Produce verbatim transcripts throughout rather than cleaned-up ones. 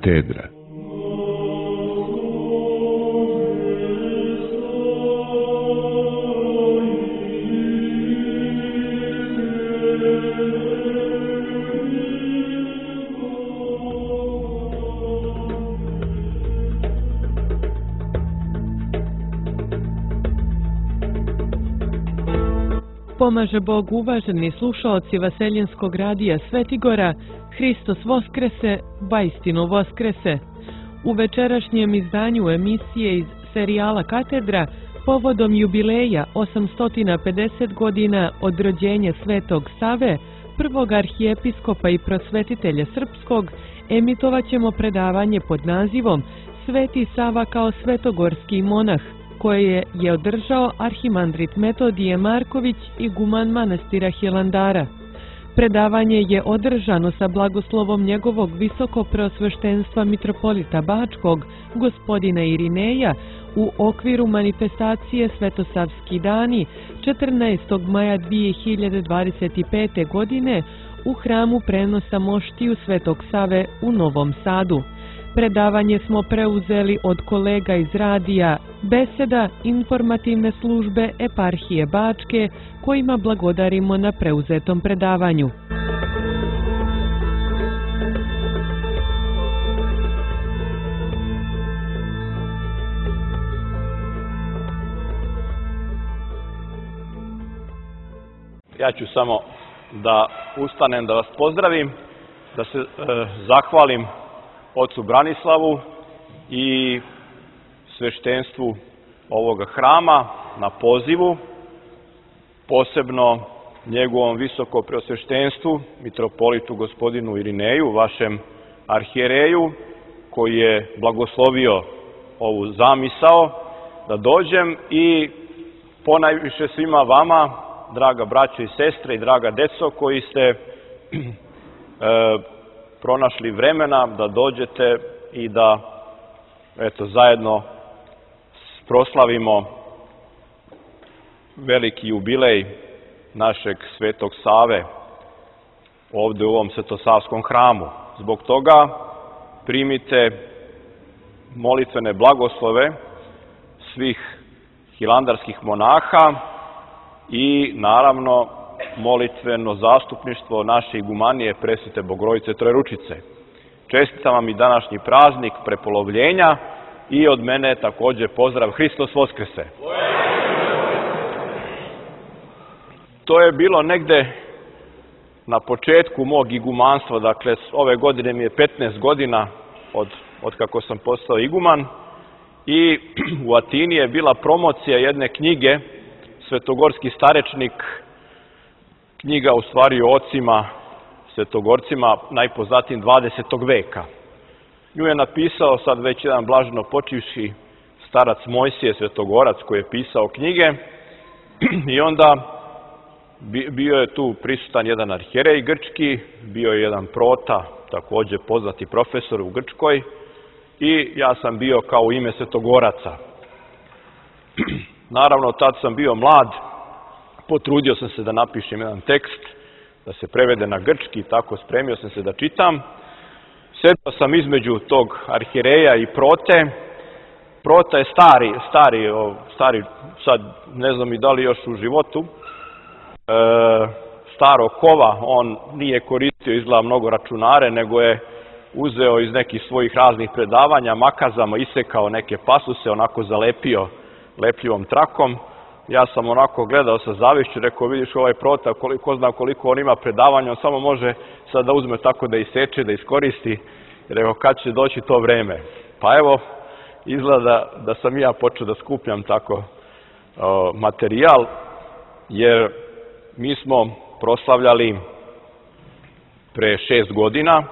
katedra. Pomaže Bog, uvaženi slušaoci Vaseljenskog radija Svetigora, Hristos Voskrese, vaistinu Voskrese. U večerašnjem izdanju emisije iz serijala Katedra, povodom jubileja osamsto pedeset godina od rođenja Svetog Save, prvog arhijepiskopa i prosvetitelja srpskog, emitovat ćemo predavanje pod nazivom Sveti Sava kao svetogorski monah, koje je održao arhimandrit Metodije Marković, iguman manastira Hilandara. Predavanje je održano sa blagoslovom njegovog visokopreosveštenstva mitropolita Bačkog, gospodina Irineja, u okviru manifestacije Svetosavski dani četrnaestog maja dvije hiljade dvadeset pete. godine u hramu prenosa moštiju Svetog Save u Novom Sadu. Predavanje smo preuzeli od kolega iz radija Beseda, informativne službe Eparhije Bačke, kojima blagodarimo na preuzetom predavanju. Ja ću samo da ustanem, da vas pozdravim, da se e, zahvalim ocu Branislavu i sveštenstvu ovoga hrama na pozivu, posebno njegovom visokopreosveštenstvu, mitropolitu gospodinu Irineju, vašem arhijereju, koji je blagoslovio ovu zamisao da dođem, i ponajviše svima vama, draga braćo i sestre i draga deco, koji ste e, pronašli vremena da dođete i da eto, zajedno proslavimo veliki jubilej našeg Svetog Save ovde u ovom Svetosavskom hramu. Zbog toga primite molitvene blagoslove svih hilandarskih monaha i naravno molitveno zastupništvo naše igumanije Presvete Bogorodice Trojeručice. Čestitam vam i današnji praznik prepolovljenja i od mene također pozdrav Hristos Voskrese. To je bilo negde na početku mog igumanstva, dakle ove godine mi je petnaest godina od, od kako sam postao iguman, i u Atini je bila promocija jedne knjige, Svetogorski starečnik, knjiga u stvari o ocima svetogorcima, najpoznatijim dvadesetog veka. Nju je napisao sad već jedan blaženo počivši starac Mojsije Svetogorac, koji je pisao knjige, i onda bio je tu prisutan jedan arhijerej grčki, bio je jedan prota, također poznati profesor u Grčkoj, i ja sam bio kao u ime Svetogoraca. Naravno, tad sam bio mlad, potrudio sam se da napišem jedan tekst, da se prevede na grčki, tako spremio sam se da čitam. Sedao sam između tog arhijereja i prote. Prota je stari, stari, stari, sad ne znam i da li još u životu, e, staro kova, on nije koristio izgleda mnogo računare, nego je uzeo iz nekih svojih raznih predavanja, makazama isekao neke pasuse, onako zalepio lepljivom trakom. Ja sam onako gledao sa zavišću, rekao, vidiš ovaj prota, koliko zna koliko on ima predavanja, on samo može sad da uzme tako da iseče, da iskoristi. Rekao, kad će doći to vreme? Pa evo, izgleda da sam ja počeo da skupljam tako o, materijal, jer mi smo proslavljali pre šest godina,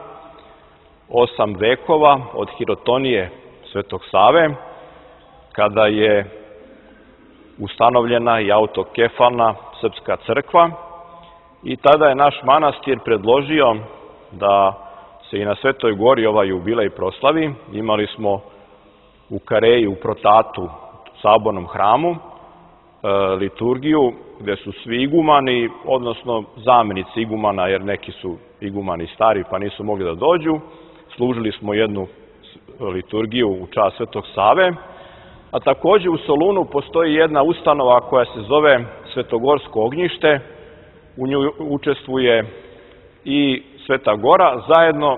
osam vekova od hirotonije Svetog Save, kada je ustanovljena i autokefalna srpska crkva, i tada je naš manastir predložio da se i na Svetoj Gori ovaj jubilej proslavi. Imali smo u Kareji, u Protatu, sabornom hramu, liturgiju gde su svi igumani, odnosno zamenici igumana, jer neki su igumani stari pa nisu mogli da dođu. Služili smo jednu liturgiju u čast Svetog Save, a takođe u Solunu postoji jedna ustanova koja se zove Svetogorsko ognjište. U nju učestvuje i Sveta Gora zajedno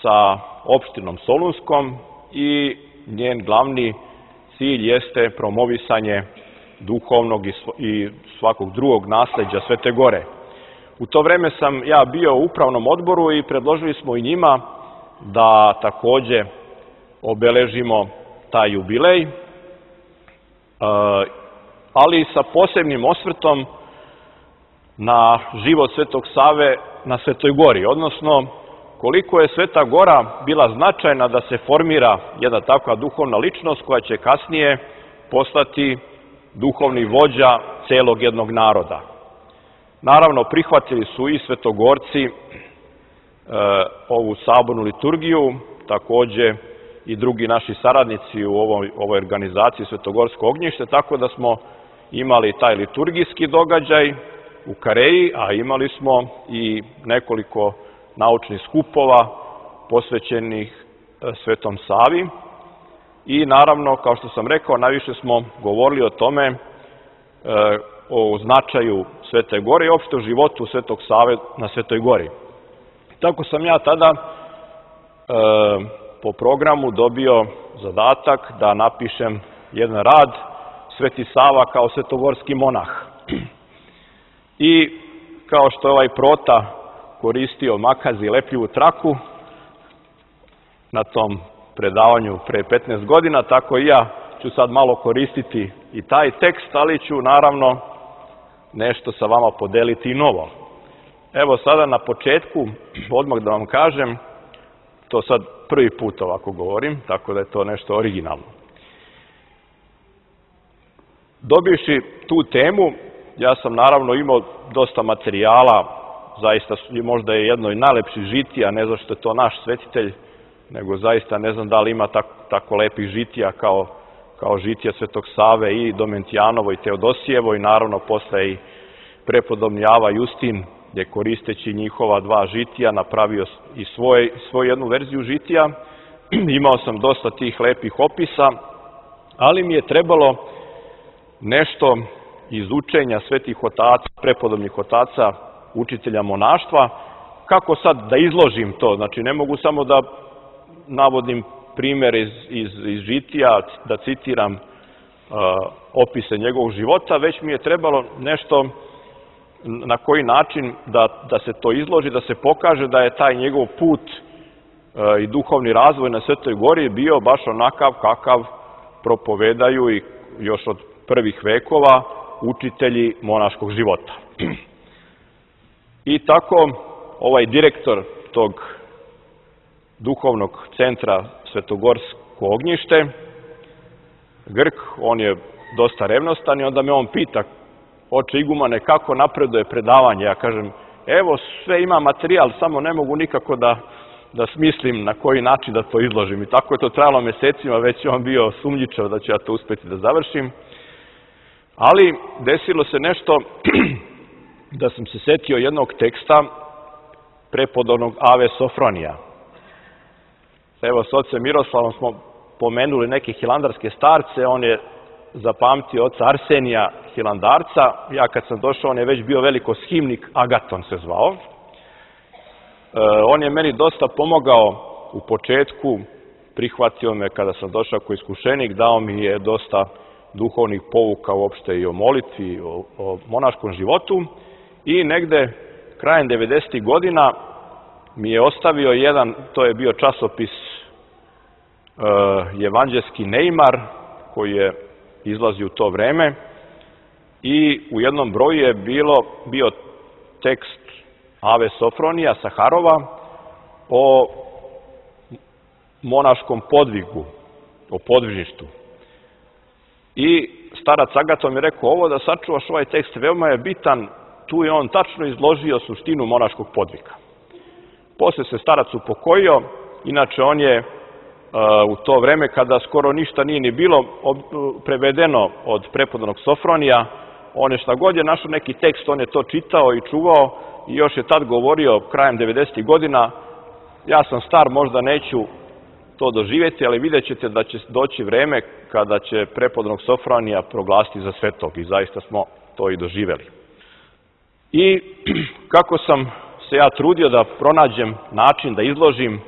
sa opštinom Solunskom i njen glavni cilj jeste promovisanje duhovnog i svakog drugog nasleđa Svete Gore. U to vreme sam ja bio u upravnom odboru i predložili smo i njima da takođe obeležimo taj jubilej, ali sa posebnim osvrtom na život Svetog Save na Svetoj Gori, odnosno koliko je Sveta Gora bila značajna da se formira jedna takva duhovna ličnost koja će kasnije postati duhovni vođa celog jednog naroda. Naravno, prihvatili su i svetogorci e, ovu sabornu liturgiju, takođe i drugi naši saradnici u ovoj, ovoj organizaciji Svetogorsko ognjište, tako da smo imali taj liturgijski događaj u Kareji, a imali smo i nekoliko naučnih skupova posvećenih Svetom Savi i naravno, kao što sam rekao, najviše smo govorili o tome, o značaju Svete Gore i opšte o životu Svetog Save na Svetoj Gori. Tako sam ja tada po programu dobio zadatak da napišem jedan rad Sveti Sava kao svetogorski monah. I kao što je ovaj Prota koristio makaz i lepljivu traku na tom predavanju pre petnaest godina, tako i ja ću sad malo koristiti i taj tekst, ali ću naravno nešto sa vama podeliti i novo. Evo sada na početku, odmah da vam kažem, to sad prvi put ovako govorim, tako da je to nešto originalno. Dobivši tu temu, ja sam naravno imao dosta materijala, zaista možda je jedno i najlepših žitija, ne znam što je to naš svetitelj, nego zaista ne znam da li ima tako, tako lepih žitija kao, kao žitija Svetog Save i Domentijanovo i Teodosijevo i naravno posle i prepodobni Ava Justin je koristeći njihova dva žitija napravio i svoj, svoju jednu verziju žitija. Imao sam dosta tih lepih opisa, ali mi je trebalo nešto iz učenja svetih otaca, prepodobnih otaca, učitelja monaštva, kako sad da izložim to. Znači, ne mogu samo da navodim primjer iz, iz, iz žitija, da citiram uh, opise njegovog života, već mi je trebalo nešto na koji način da, da se to izloži, da se pokaže da je taj njegov put uh, i duhovni razvoj na Svetoj Gori bio baš onakav kakav propovedaju i još od prvih vekova učitelji monaškog života. I tako ovaj direktor tog duhovnog centra Svetogorsko ognjište, Grk, on je dosta revnostan i onda me on pita, oče igumane, kako napreduje predavanje? Ja kažem, evo sve ima materijal, samo ne mogu nikako da, da smislim na koji način da to izložim. I tako je to trajalo mesecima, već je on bio sumnjičav da ću ja to uspeti da završim. Ali desilo se nešto da sam se setio jednog teksta prepodobnog Ave Sofronija. Evo, s ocem Miroslavom smo pomenuli neke hilandarske starce, on je zapamtio oca Arsenija hilandarca, ja kad sam došao, on je već bio veliko shimnik, Agaton se zvao. E, on je meni dosta pomogao u početku, prihvatio me kada sam došao kao iskušenik, dao mi je dosta duhovnih pouka uopšte i o molitvi, o, o monaškom životu i negde krajem devedesetih godina mi je ostavio jedan, to je bio časopis uh, Evanđelski Neimar, koji je izlazio u to vreme i u jednom broju je bilo, bio tekst Ave Sofronija Saharova o monaškom podvigu, o podvižništu. I starac Agaton mi je rekao, ovo da sačuvaš ovaj tekst veoma je bitan, tu je on tačno izložio suštinu monaškog podviga. Posle se starac upokojio, inače on je uh, u to vreme kada skoro ništa nije ni bilo ob, prevedeno od prepodobnog Sofronija, on je šta god je našao neki tekst, on je to čitao i čuvao i još je tad govorio krajem devedesetih godina, ja sam star, možda neću to doživjeti, ali vidjet ćete da će doći vreme kada će prepodobnog Sofronija proglasiti za svetog i zaista smo to i doživjeli. I kako sam se ja trudio da pronađem način da izložim e,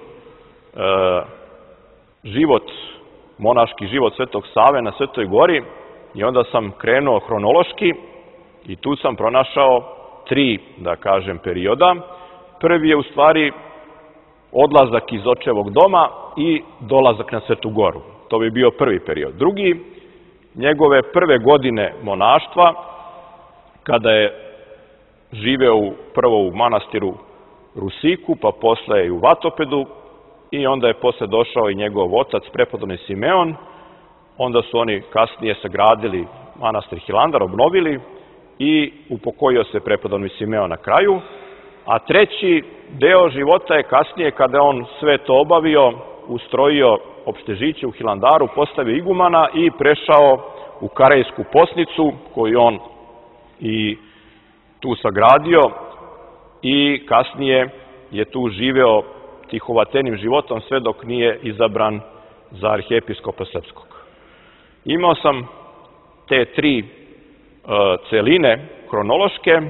život, monaški život Svetog Save na Svetoj Gori, i onda sam krenuo hronološki i tu sam pronašao tri, da kažem, perioda. Prvi je u stvari odlazak iz očevog doma i dolazak na Svetu Goru. To bi bio prvi period. Drugi, njegove prve godine monaštva, kada je živeo u, prvo u manastiru Rusiku, pa posle i u Vatopedu, i onda je posle došao i njegov otac, prepodobni Simeon. Onda su oni kasnije sagradili manastir Hilandar, obnovili i upokojio se prepodobni Simeon na kraju. A treći deo života je kasnije, kada je on sve to obavio, ustrojio opštežiće u Hilandaru, postavio igumana i prešao u Karejsku Posnicu, koju on i tu sagradio, i kasnije je tu živeo tihovatenim životom sve dok nije izabran za arhijepiskopa srpskog. Imao sam te tri e, celine hronološke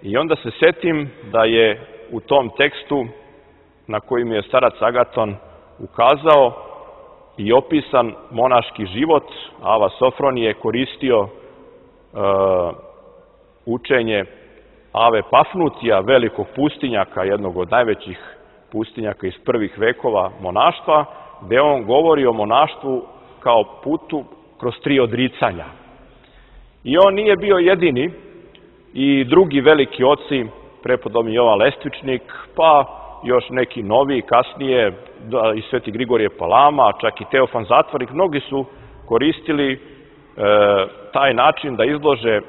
i onda se setim da je u tom tekstu na koji mi je starac Agaton ukazao i opisan monaški život. Ava Sofronije je koristio e, učenje Ave Pafnutija, velikog pustinjaka, jednog od najvećih pustinjaka iz prvih vekova monaštva, gde on govori o monaštvu kao putu kroz tri odricanja. I on nije bio jedini, i drugi veliki oci, prepodobni Jovan Lestvičnik, pa još neki novi kasnije, da, i Sveti Grigorije Palama, čak i Teofan Zatvornik, mnogi su koristili e, taj način da izlože e,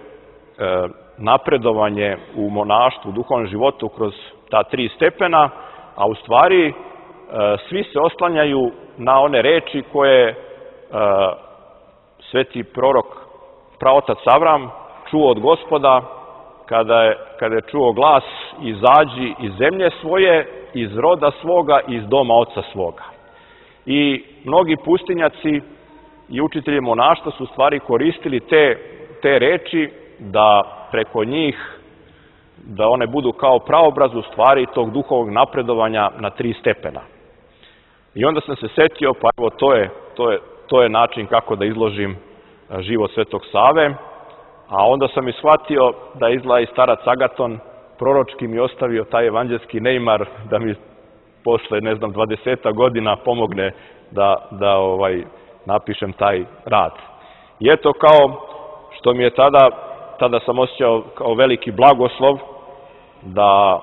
napredovanje u monaštvu, u duhovnom životu kroz ta tri stepena, a u stvari e, svi se oslanjaju na one reči koje e, sveti prorok, praotac Avram, čuo od Gospoda kada je, kada je čuo glas: izađi iz zemlje svoje, iz roda svoga, iz doma oca svoga. I mnogi pustinjaci i učitelji monaštva su u stvari koristili te, te reči da preko njih, da one budu kao praobraz u stvari tog duhovog napredovanja na tri stepena. I onda sam se setio, pa evo to je, to je, to je način kako da izložim život Svetog Save, a onda sam i shvatio da izgleda i starac Agaton proročki mi ostavio taj evanđelski neimar da mi posle, ne znam, dvadeseta godina pomogne da, da ovaj, napišem taj rad. I eto, kao što mi je tada, tada sam osjećao kao veliki blagoslov da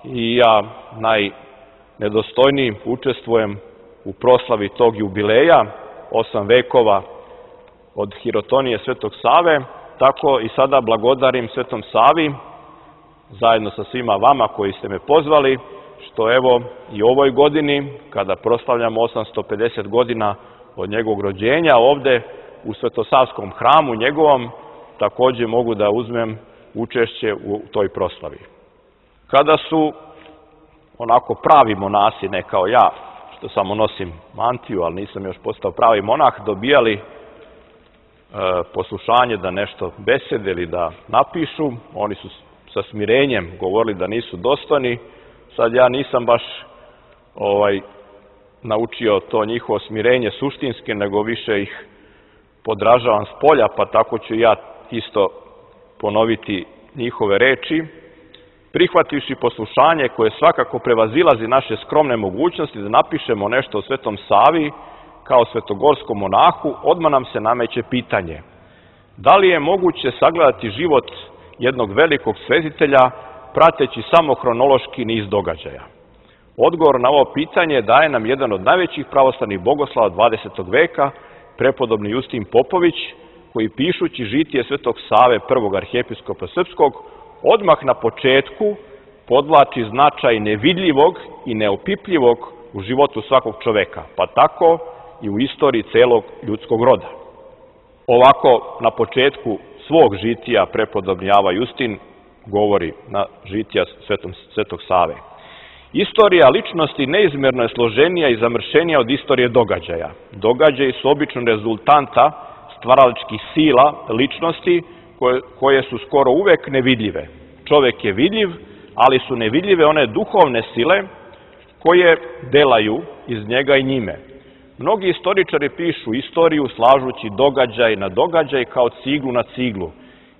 i ja najnedostojniji učestvujem u proslavi tog jubileja, osam vekova od hirotonije Svetog Save, tako i sada blagodarim Svetom Savi, zajedno sa svima vama koji ste me pozvali, što evo i ovoj godini, kada proslavljamo osamsto pedeset godina od njegovog rođenja, ovde u Svetosavskom hramu njegovom, takođe mogu da uzmem učešće u toj proslavi. Kada su onako pravi monasi, ne kao ja, što samo nosim mantiju, ali nisam još postao pravi monah, dobijali e, poslušanje da nešto besede ili da napišu, oni su sa smirenjem govorili da nisu dostojni. Sad ja nisam baš ovaj, naučio to njihovo smirenje suštinske, nego više ih podražavam s polja, pa tako ću ja isto ponoviti njihove reči. Prihvativši poslušanje koje svakako prevazilazi naše skromne mogućnosti da napišemo nešto o Svetom Savi kao svetogorskom monahu, odmah nam se nameće pitanje: da li je moguće sagledati život jednog velikog svezitelja prateći samo hronološki niz događaja? Odgovor na ovo pitanje daje nam jedan od najvećih pravoslavnih bogoslava dvadesetog veka, prepodobni Justin Popović, koji pišući žitije Svetog Save, prvog arhijepiskopa srpskog, odmah na početku podvlači značaj nevidljivog i neopipljivog u životu svakog čoveka, pa tako i u istoriji celog ljudskog roda. Ovako, na početku svog žitija prepodobni Ava Justin govori na žitija Svetog Save. Istorija ličnosti neizmjerno je složenija i zamršenija od istorije događaja. Događaji su obično rezultanta stvaralačkih sila ličnosti koje, koje su skoro uvek nevidljive. Čovek je vidljiv, ali su nevidljive one duhovne sile koje delaju iz njega i njime. Mnogi istoričari pišu istoriju slažući događaj na događaj kao ciglu na ciglu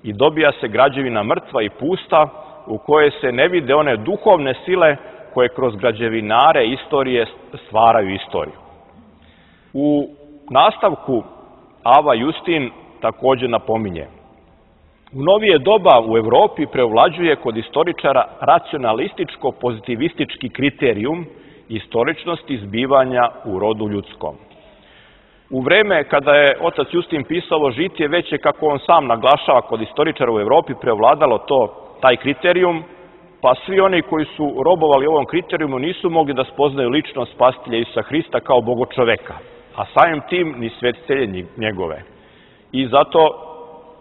i dobija se građevina mrtva i pusta u kojoj se ne vide one duhovne sile koje kroz građevinare istorije stvaraju istoriju. U nastavku Ava Justin također napominje: u novije doba u Evropi preovlađuje kod istoričara racionalističko-pozitivistički kriterijum istoričnosti zbivanja u rodu ljudskom. U vreme kada je otac Justin pisao Žitije, već je, kako on sam naglašava, kod istoričara u Evropi preovladalo to, taj kriterijum, pa svi oni koji su robovali ovom kriterijumu nisu mogli da spoznaju ličnost spasitelja Isusa Hrista kao bogočoveka, a samim tim ni svetitelje njegove. I zato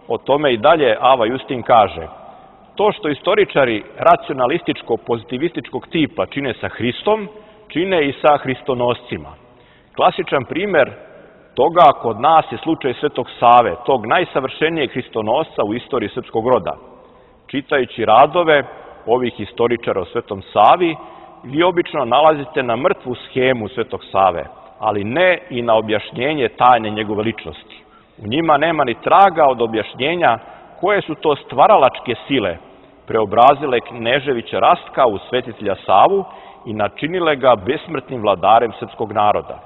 o tome i dalje Ava Justin kaže: to što istoričari racionalističko-pozitivističkog tipa čine sa Hristom, čine i sa hristonoscima. Klasičan primer toga kod nas je slučaj Svetog Save, tog najsavršenijeg hristonosca u istoriji srpskog roda. Čitajući radove ovih istoričara o Svetom Savi, vi obično nalazite na mrtvu schemu Svetog Save, ali ne i na objašnjenje tajne njegove ličnosti. U njima nema ni traga od objašnjenja koje su to stvaralačke sile preobrazile Kneževića Rastka u svetitelja Savu i načinile ga besmrtnim vladarem srpskog naroda.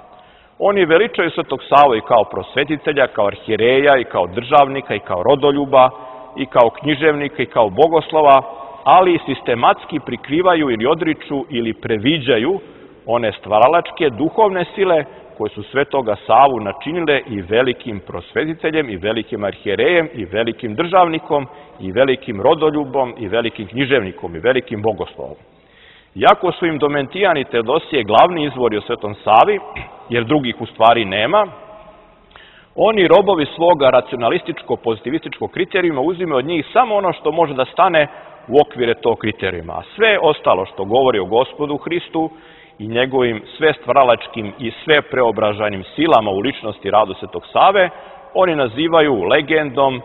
Oni veličaju Svetog Savu i kao prosvetitelja, kao arhijereja, i kao državnika, i kao rodoljuba, i kao književnika, i kao bogoslova, ali sistematski prikrivaju ili odriču ili previđaju one stvaralačke duhovne sile koje su Svetoga Savu načinile i velikim prosvetiteljem, i velikim arhijerejem, i velikim državnikom, i velikim rodoljubom, i velikim književnikom, i velikim bogoslovom. Iako su im Domentijan i Teodosije glavni izvori o Svetom Savi, jer drugih u stvari nema, oni, robovi svoga racionalističko-pozitivističkog kriterijuma, uzimaju od njih samo ono što može da stane u okvire tog kriterijuma. A sve ostalo što govori o Gospodu Hristu i njegovim sve stvaralačkim i sve preobražajnim silama u ličnosti i radu Svetog Save, oni nazivaju legendom,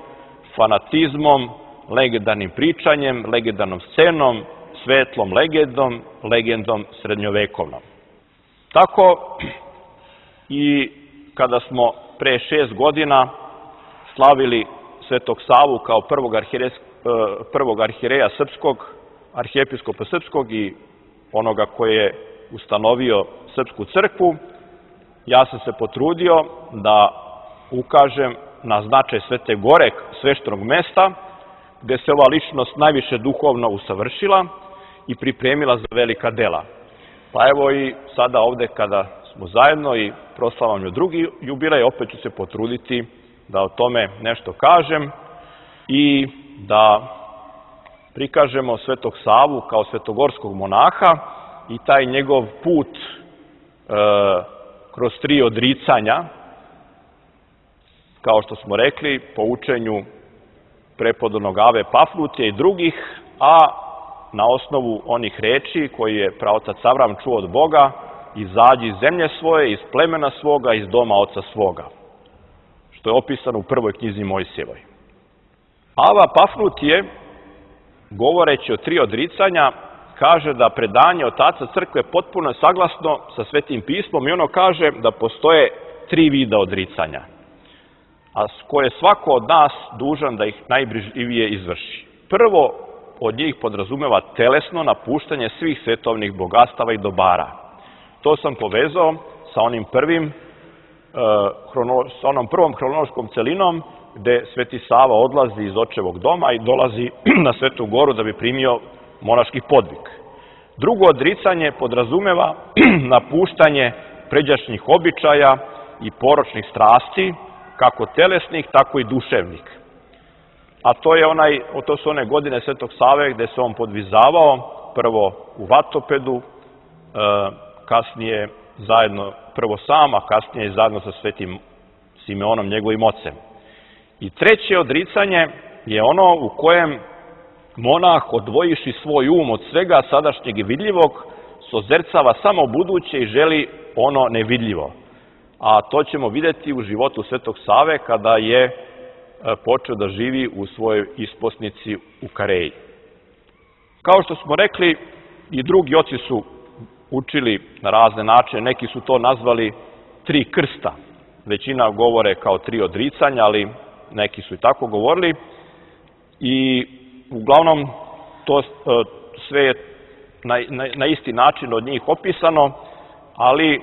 fanatizmom, legendarnim pričanjem, legendarnom scenom, svetlom legendom, legendom srednjovekovnom. Tako i kada smo pre šest godina slavili Svetog Savu kao prvog, arhijeres, prvog arhijereja srpskog, arhijepiskopa srpskog i onoga koji je ustanovio srpsku crkvu, ja sam se potrudio da ukažem na značaj Svete Gore, sveštenog mesta, gde se ova ličnost najviše duhovno usavršila i pripremila za velika dela. Pa evo i sada ovde kada smo zajedno i proslavamo drugi jubilej, opet ću se potruditi da o tome nešto kažem i da prikažemo Svetog Savu kao svetogorskog monaha i taj njegov put e, kroz tri odricanja, kao što smo rekli, po učenju prepodobnog Ave Pafnutija i drugih, a na osnovu onih reči koji je praotac Avram čuo od Boga: izađi iz zemlje svoje, iz plemena svoga, iz doma oca svoga, što je opisano u prvoj knjizi Mojsijevoj. Ava Pafnutije, govoreći o tri odricanja, kaže da predanje otaca crkve potpuno je saglasno sa Svetim pismom i ono kaže da postoje tri vida odricanja, a koje svako od nas dužan da ih najbrižljivije izvrši. Prvo od njih podrazumeva telesno napuštanje svih svetovnih bogatstava i dobara. To sam povezao sa onim prvim, sa onom prvom hronološkom celinom gde Sveti Sava odlazi iz očevog doma i dolazi na Svetu Goru da bi primio monaški podvig. Drugo odricanje podrazumeva napuštanje pređašnjih običaja i poročnih strasti, kako telesnih, tako i duševnih. A to, je onaj, to su one godine Svetog Save gde se on podvizavao, prvo u Vatopedu, kasnije zajedno, prvo sam, a kasnije zajedno sa Svetim Simeonom, njegovim ocem. I treće odricanje je ono u kojem monah, odvojiši svoj um od svega sadašnjeg i vidljivog, sozercava samo buduće i želi ono nevidljivo. A to ćemo vidjeti u životu Svetog Save kada je počeo da živi u svojoj isposnici u Kareji. Kao što smo rekli, i drugi oci su učili na razne načine, neki su to nazvali tri krsta. Većina govore kao tri odricanja, ali neki su i tako govorili. I uglavnom to sve je na, na, na isti način od njih opisano, ali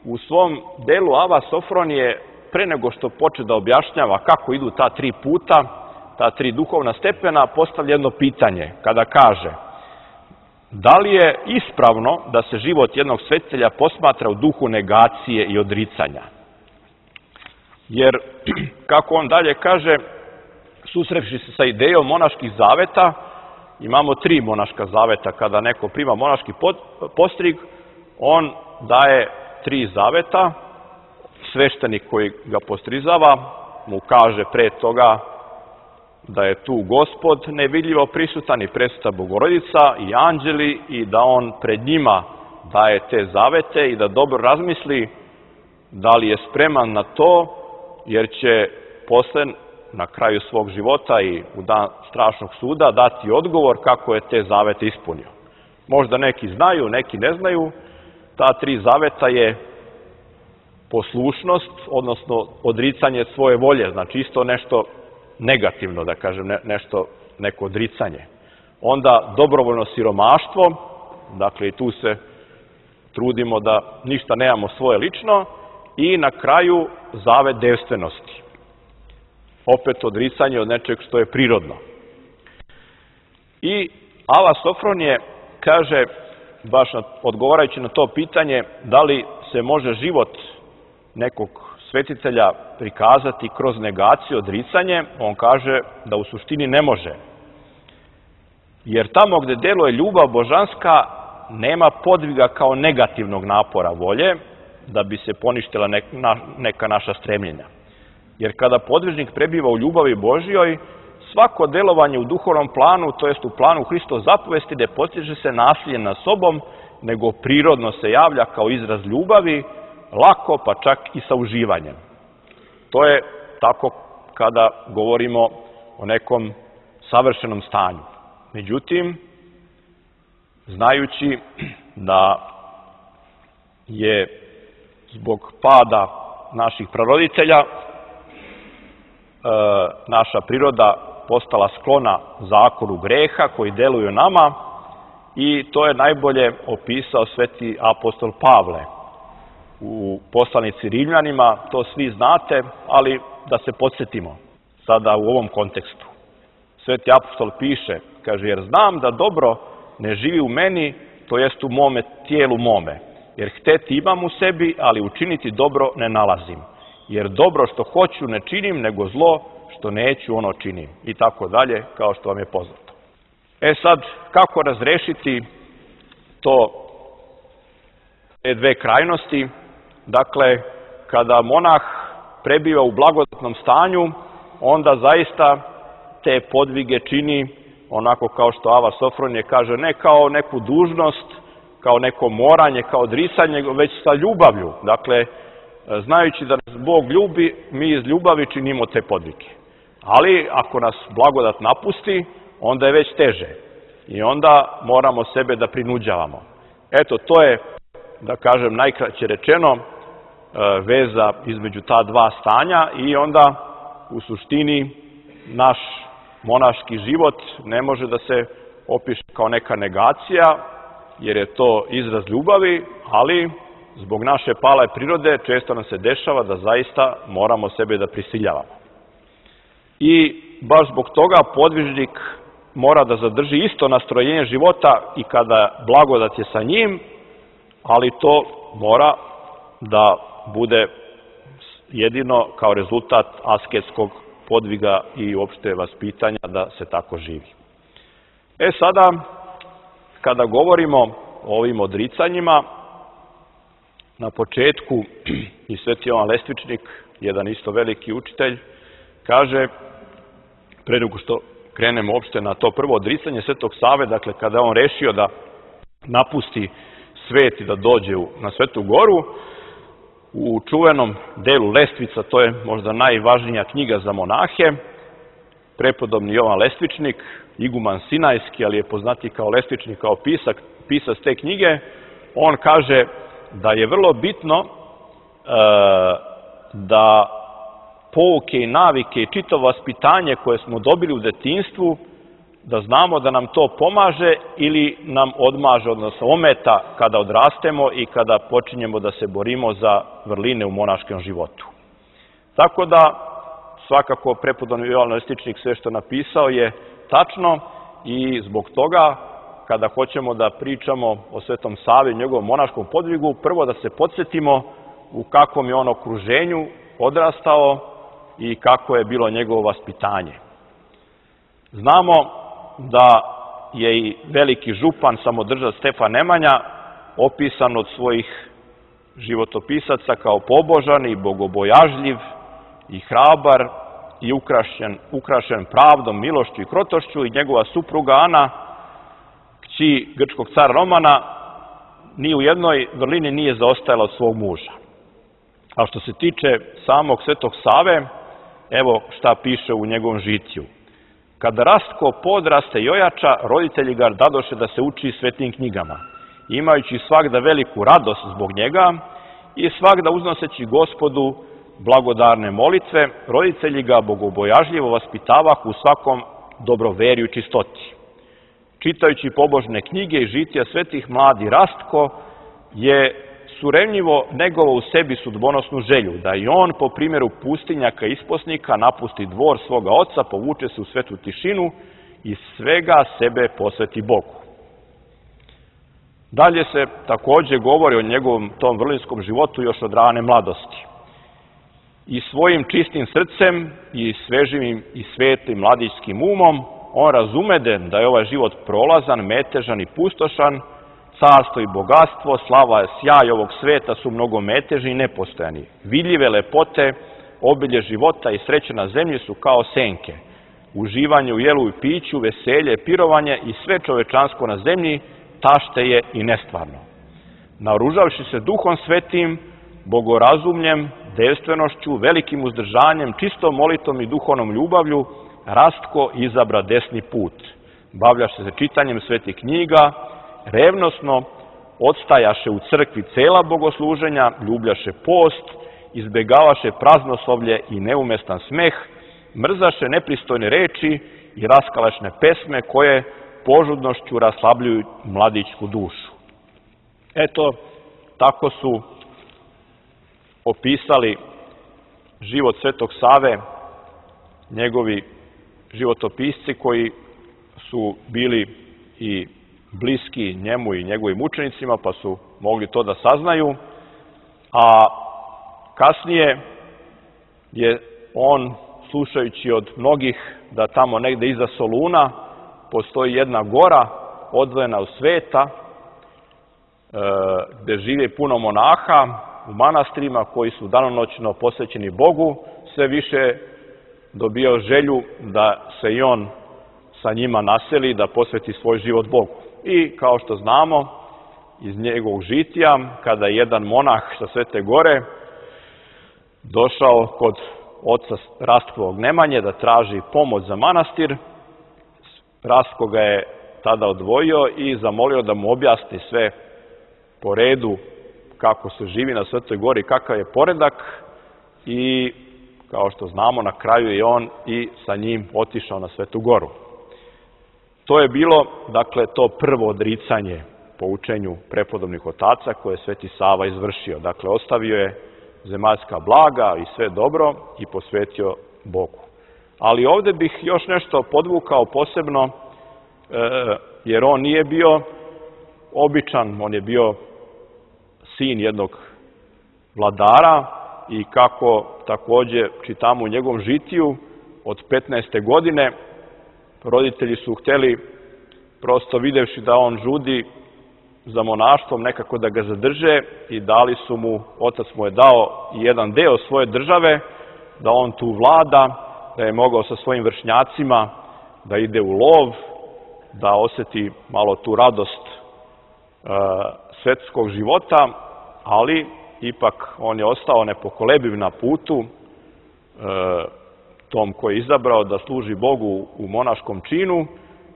u svom delu Ava Sofronije, pre nego što poče da objašnjava kako idu ta tri puta, ta tri duhovna stepena, postavlja jedno pitanje kada kaže: da li je ispravno da se život jednog svetitelja posmatra u duhu negacije i odricanja? Jer, kako on dalje kaže, susrevši se sa idejom monaških zaveta, imamo tri monaška zaveta. Kada neko prima monaški postrig, on daje tri zaveta. Sveštenik koji ga postrizava mu kaže pre toga da je tu Gospod nevidljivo prisutan i presveta Bogorodica i anđeli, i da on pred njima daje te zavete i da dobro razmisli da li je spreman na to, jer će posle na kraju svog života i u dan strašnog suda dati odgovor kako je te zavete ispunio. Možda neki znaju, neki ne znaju. Ta tri zaveta je poslušnost, odnosno odricanje svoje volje, znači isto nešto negativno, da kažem, ne, nešto, neko odricanje. Onda dobrovoljno siromaštvo, dakle i tu se trudimo da ništa nemamo svoje lično, i na kraju zavet devstvenosti. Opet odricanje od nečeg što je prirodno. I Ava Sofronije kaže, baš odgovarajući na to pitanje, da li se može život nekog svetitelja prikazati kroz negaciju, odricanje, on kaže da u suštini ne može. Jer tamo gde deluje ljubav božanska, nema podviga kao negativnog napora volje, da bi se poništila neka naša stremljenja. Jer kada podvižnik prebiva u ljubavi Božjoj, svako delovanje u duhovnom planu, to jest u planu Hristove zapovesti, ne postiže se nasiljem nad sobom, nego prirodno se javlja kao izraz ljubavi, lako, pa čak i sa uživanjem. To je tako kada govorimo o nekom savršenom stanju. Međutim, znajući da je zbog pada naših praroditelja naša priroda postala sklona zakonu greha koji deluju nama, i to je najbolje opisao sveti apostol Pavle u poslanici Rimljanima. To svi znate, ali da se podsjetimo sada u ovom kontekstu. Sveti apostol piše, kaže: jer znam da dobro ne živi u meni, to jest u mome tijelu mome. Jer hteti imam u sebi, ali učiniti dobro ne nalazim. Jer dobro što hoću ne činim, nego zlo što neću ono činim. I tako dalje, kao što vam je poznato. E sad, kako razrešiti to, te dve krajnosti? Dakle, kada monah prebiva u blagodatnom stanju, onda zaista te podvige čini onako kao što Ava Sofronije kaže, ne kao neku dužnost, kao neko moranje, kao odricanje, već sa ljubavlju. Dakle, znajući da nas Bog ljubi, mi iz ljubavi činimo te podvige. Ali ako nas blagodat napusti, onda je već teže. I onda moramo sebe da prinuđavamo. Eto, to je, da kažem, najkraće rečeno, veza između ta dva stanja, i onda u suštini naš monaški život ne može da se opiše kao neka negacija, jer je to izraz ljubavi, ali zbog naše pale prirode često nam se dešava da zaista moramo sebe da prisiljavamo. I baš zbog toga podvižnik mora da zadrži isto nastrojenje života i kada blagodat je sa njim, ali to mora da bude jedino kao rezultat asketskog podviga i uopšte vaspitanja da se tako živi. E sada, kada govorimo o ovim odricanjima, na početku i sveti Jovan Lestvičnik, jedan isto veliki učitelj, kaže, pre nego što krenemo uopšte na to prvo odricanje Svetog Save, dakle kada je on rešio da napusti svet i da dođe na Svetu Goru. U čuvenom delu Lestvica, to je možda najvažnija knjiga za monahe, prepodobni Jovan Lestvičnik, iguman Sinajski, ali je poznati kao Lestvičnik, kao pisak, pisac te knjige, on kaže da je vrlo bitno e, da pouke i navike i čito vaspitanje koje smo dobili u detinjstvu, da znamo da nam to pomaže ili nam odmaže, odnosno ometa kada odrastemo i kada počinjemo da se borimo za vrline u monaškom životu. Tako da, svakako, prepodobni Jovan Lestvičnik sve što napisao je tačno i zbog toga, kada hoćemo da pričamo o Svetom Savi i njegovom monaškom podvigu, prvo da se podsjetimo u kakvom je on okruženju odrastao i kako je bilo njegovo vaspitanje. Znamo da je i veliki župan, samodržac Stefan Nemanja, opisan od svojih životopisaca kao pobožan i bogobojažljiv i hrabar i ukrašen, ukrašen pravdom, milošću i krotošću, i njegova supruga Ana, kći grčkog cara Romana, ni u jednoj vrlini nije zaostajala od svog muža. A što se tiče samog Svetog Save, evo šta piše u njegovom žitiju. Kada Rastko podraste i ojača, roditelji ga dadoše da se uči svetim knjigama, imajući svagda veliku radost zbog njega i svagda uznoseći Gospodu blagodarne molitve, roditelji ga bogobojažljivo vaspitavahu u svakom dobroverju i čistoti. Čitajući pobožne knjige i žitija svetih, mladi Rastko je surevljivo negovao u sebi sudbonosnu želju, da i on, po primjeru pustinjaka i isposnika, napusti dvor svoga oca, povuče se u svetu tišinu i svega sebe posveti Bogu. Dalje se takođe govori o njegovom tom vrlinskom životu još od rane mladosti. I svojim čistim srcem i svežim i svetlim mladićskim umom on razumede da je ovaj život prolazan, metežan i pustošan, carstvo i bogatstvo, slava i sjaj ovog sveta su mnogo metežni i nepostojani. Vidljive lepote, obilje života i sreće na zemlji su kao senke. Uživanje u jelu i piću, veselje, pirovanje i sve čovečansko na zemlji tašte je i nestvarno. Naoružavši se duhom svetim, bogorazumljem, devstvenošću, velikim uzdržanjem, čistom molitom i duhovnom ljubavlju, Rastko izabra desni put. Bavljaše se čitanjem svetih knjiga, revnosno odstajaše u crkvi cela bogosluženja, ljubljaše post, izbegavaše praznoslovlje i neumestan smeh, mrzaše nepristojne reči i raskalešne pesme koje požudnošću raslabljuju mladićku dušu. Eto, tako su opisali život Svetog Save njegovi životopisci koji su bili i bliski njemu i njegovim učenicima, pa su mogli to da saznaju, a kasnije je on, slušajući od mnogih da tamo negde iza Soluna postoji jedna gora odvojena od sveta, gde žive puno monaha u manastirima koji su danonoćno posvećeni Bogu, sve više dobio želju da se i on sa njima naseli, da posveti svoj život Bogu. I kao što znamo iz njegovog žitija, kada je jedan monah sa Svete Gore došao kod oca Rastkovog Nemanje da traži pomoć za manastir, Rastko ga je tada odvojio i zamolio da mu objasni sve po redu kako se živi na Svetoj Gori, kakav je poredak, i kao što znamo, na kraju je on i sa njim otišao na Svetu Goru. To je bilo, dakle, to prvo odricanje po učenju prepodobnih otaca koje je Sveti Sava izvršio. Dakle, ostavio je zemaljska blaga i sve dobro i posvetio Bogu. Ali ovde bih još nešto podvukao posebno, jer on nije bio običan, on je bio sin jednog vladara i kako takođe čitamo u njegovom žitiju, od petnaeste godine roditelji su hteli, prosto videvši da on žudi za monaštvom, nekako da ga zadrže i dali su mu, otac mu je dao jedan deo svoje države, da on tu vlada, da je mogao sa svojim vršnjacima da ide u lov, da oseti malo tu radost svetskog života, ali ipak on je ostao nepokolebiv na putu tom koji je izabrao da služi Bogu u monaškom činu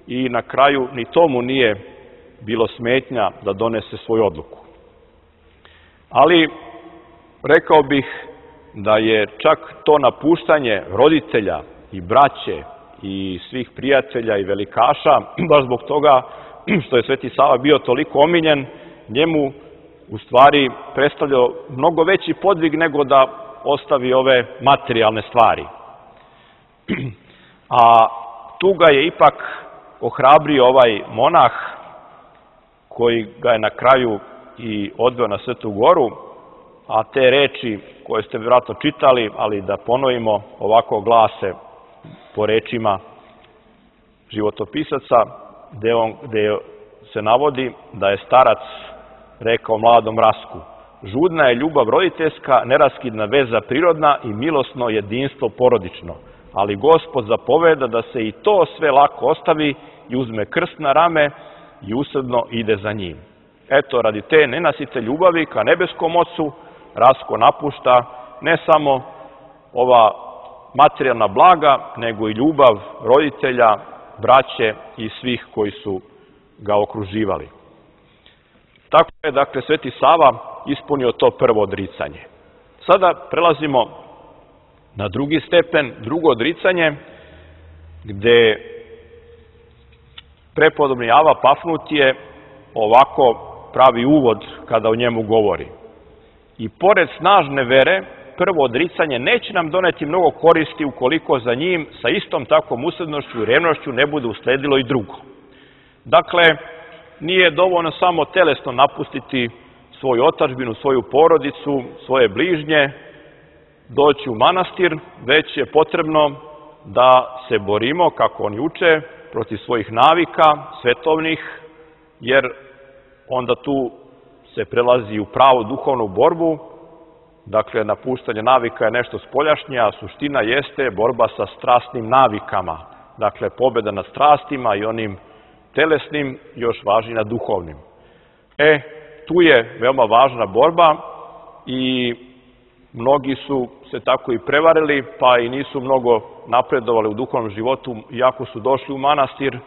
i na kraju ni tomu nije bilo smetnja da donese svoju odluku. Ali rekao bih da je čak to napuštanje roditelja i braće i svih prijatelja i velikaša, baš zbog toga što je Sveti Sava bio toliko omiljen, njemu u stvari predstavljao mnogo veći podvig nego da ostavi ove materijalne stvari. A tu ga je ipak ohrabrio ovaj monah koji ga je na kraju i odveo na Svetu Goru, a te reči koje ste vjerojatno čitali, ali da ponovimo, ovako glase po rečima životopisaca, gde, on, gde se navodi da je starac rekao mladom Rasku: žudna je ljubav roditeljska, neraskidna veza prirodna i milosno jedinstvo porodično, ali Gospod zapoveda da se i to sve lako ostavi i uzme krst na rame i usrdno ide za njim. Eto, radi te nenasite ljubavi ka nebeskom Ocu, Rasko napušta ne samo ova materijalna blaga, nego i ljubav roditelja, braće i svih koji su ga okruživali. Tako je, dakle, Sveti Sava ispunio to prvo odricanje. Sada prelazimo na drugi stepen, drugo odricanje, gde prepodobni Ava Pafnutije ovako pravi uvod kada o njemu govori. I pored snažne vere, prvo odricanje neće nam doneti mnogo koristi ukoliko za njim sa istom takvom usrednošću i revnošću ne bude usledilo i drugo. Dakle, nije dovoljno samo telesno napustiti svoju otadžbinu, svoju porodicu, svoje bližnje, doći u manastir, već je potrebno da se borimo, kako oni uče, protiv svojih navika, svetovnih, jer onda tu se prelazi u pravu duhovnu borbu. Dakle, napuštanje navika je nešto spoljašnje, a suština jeste borba sa strastnim navikama. Dakle, pobjeda nad strastima i onim telesnim, još važnije nad duhovnim. E, tu je veoma važna borba i mnogi su se tako i prevarili, pa i nisu mnogo napredovali u duhovnom životu, iako su došli u manastir,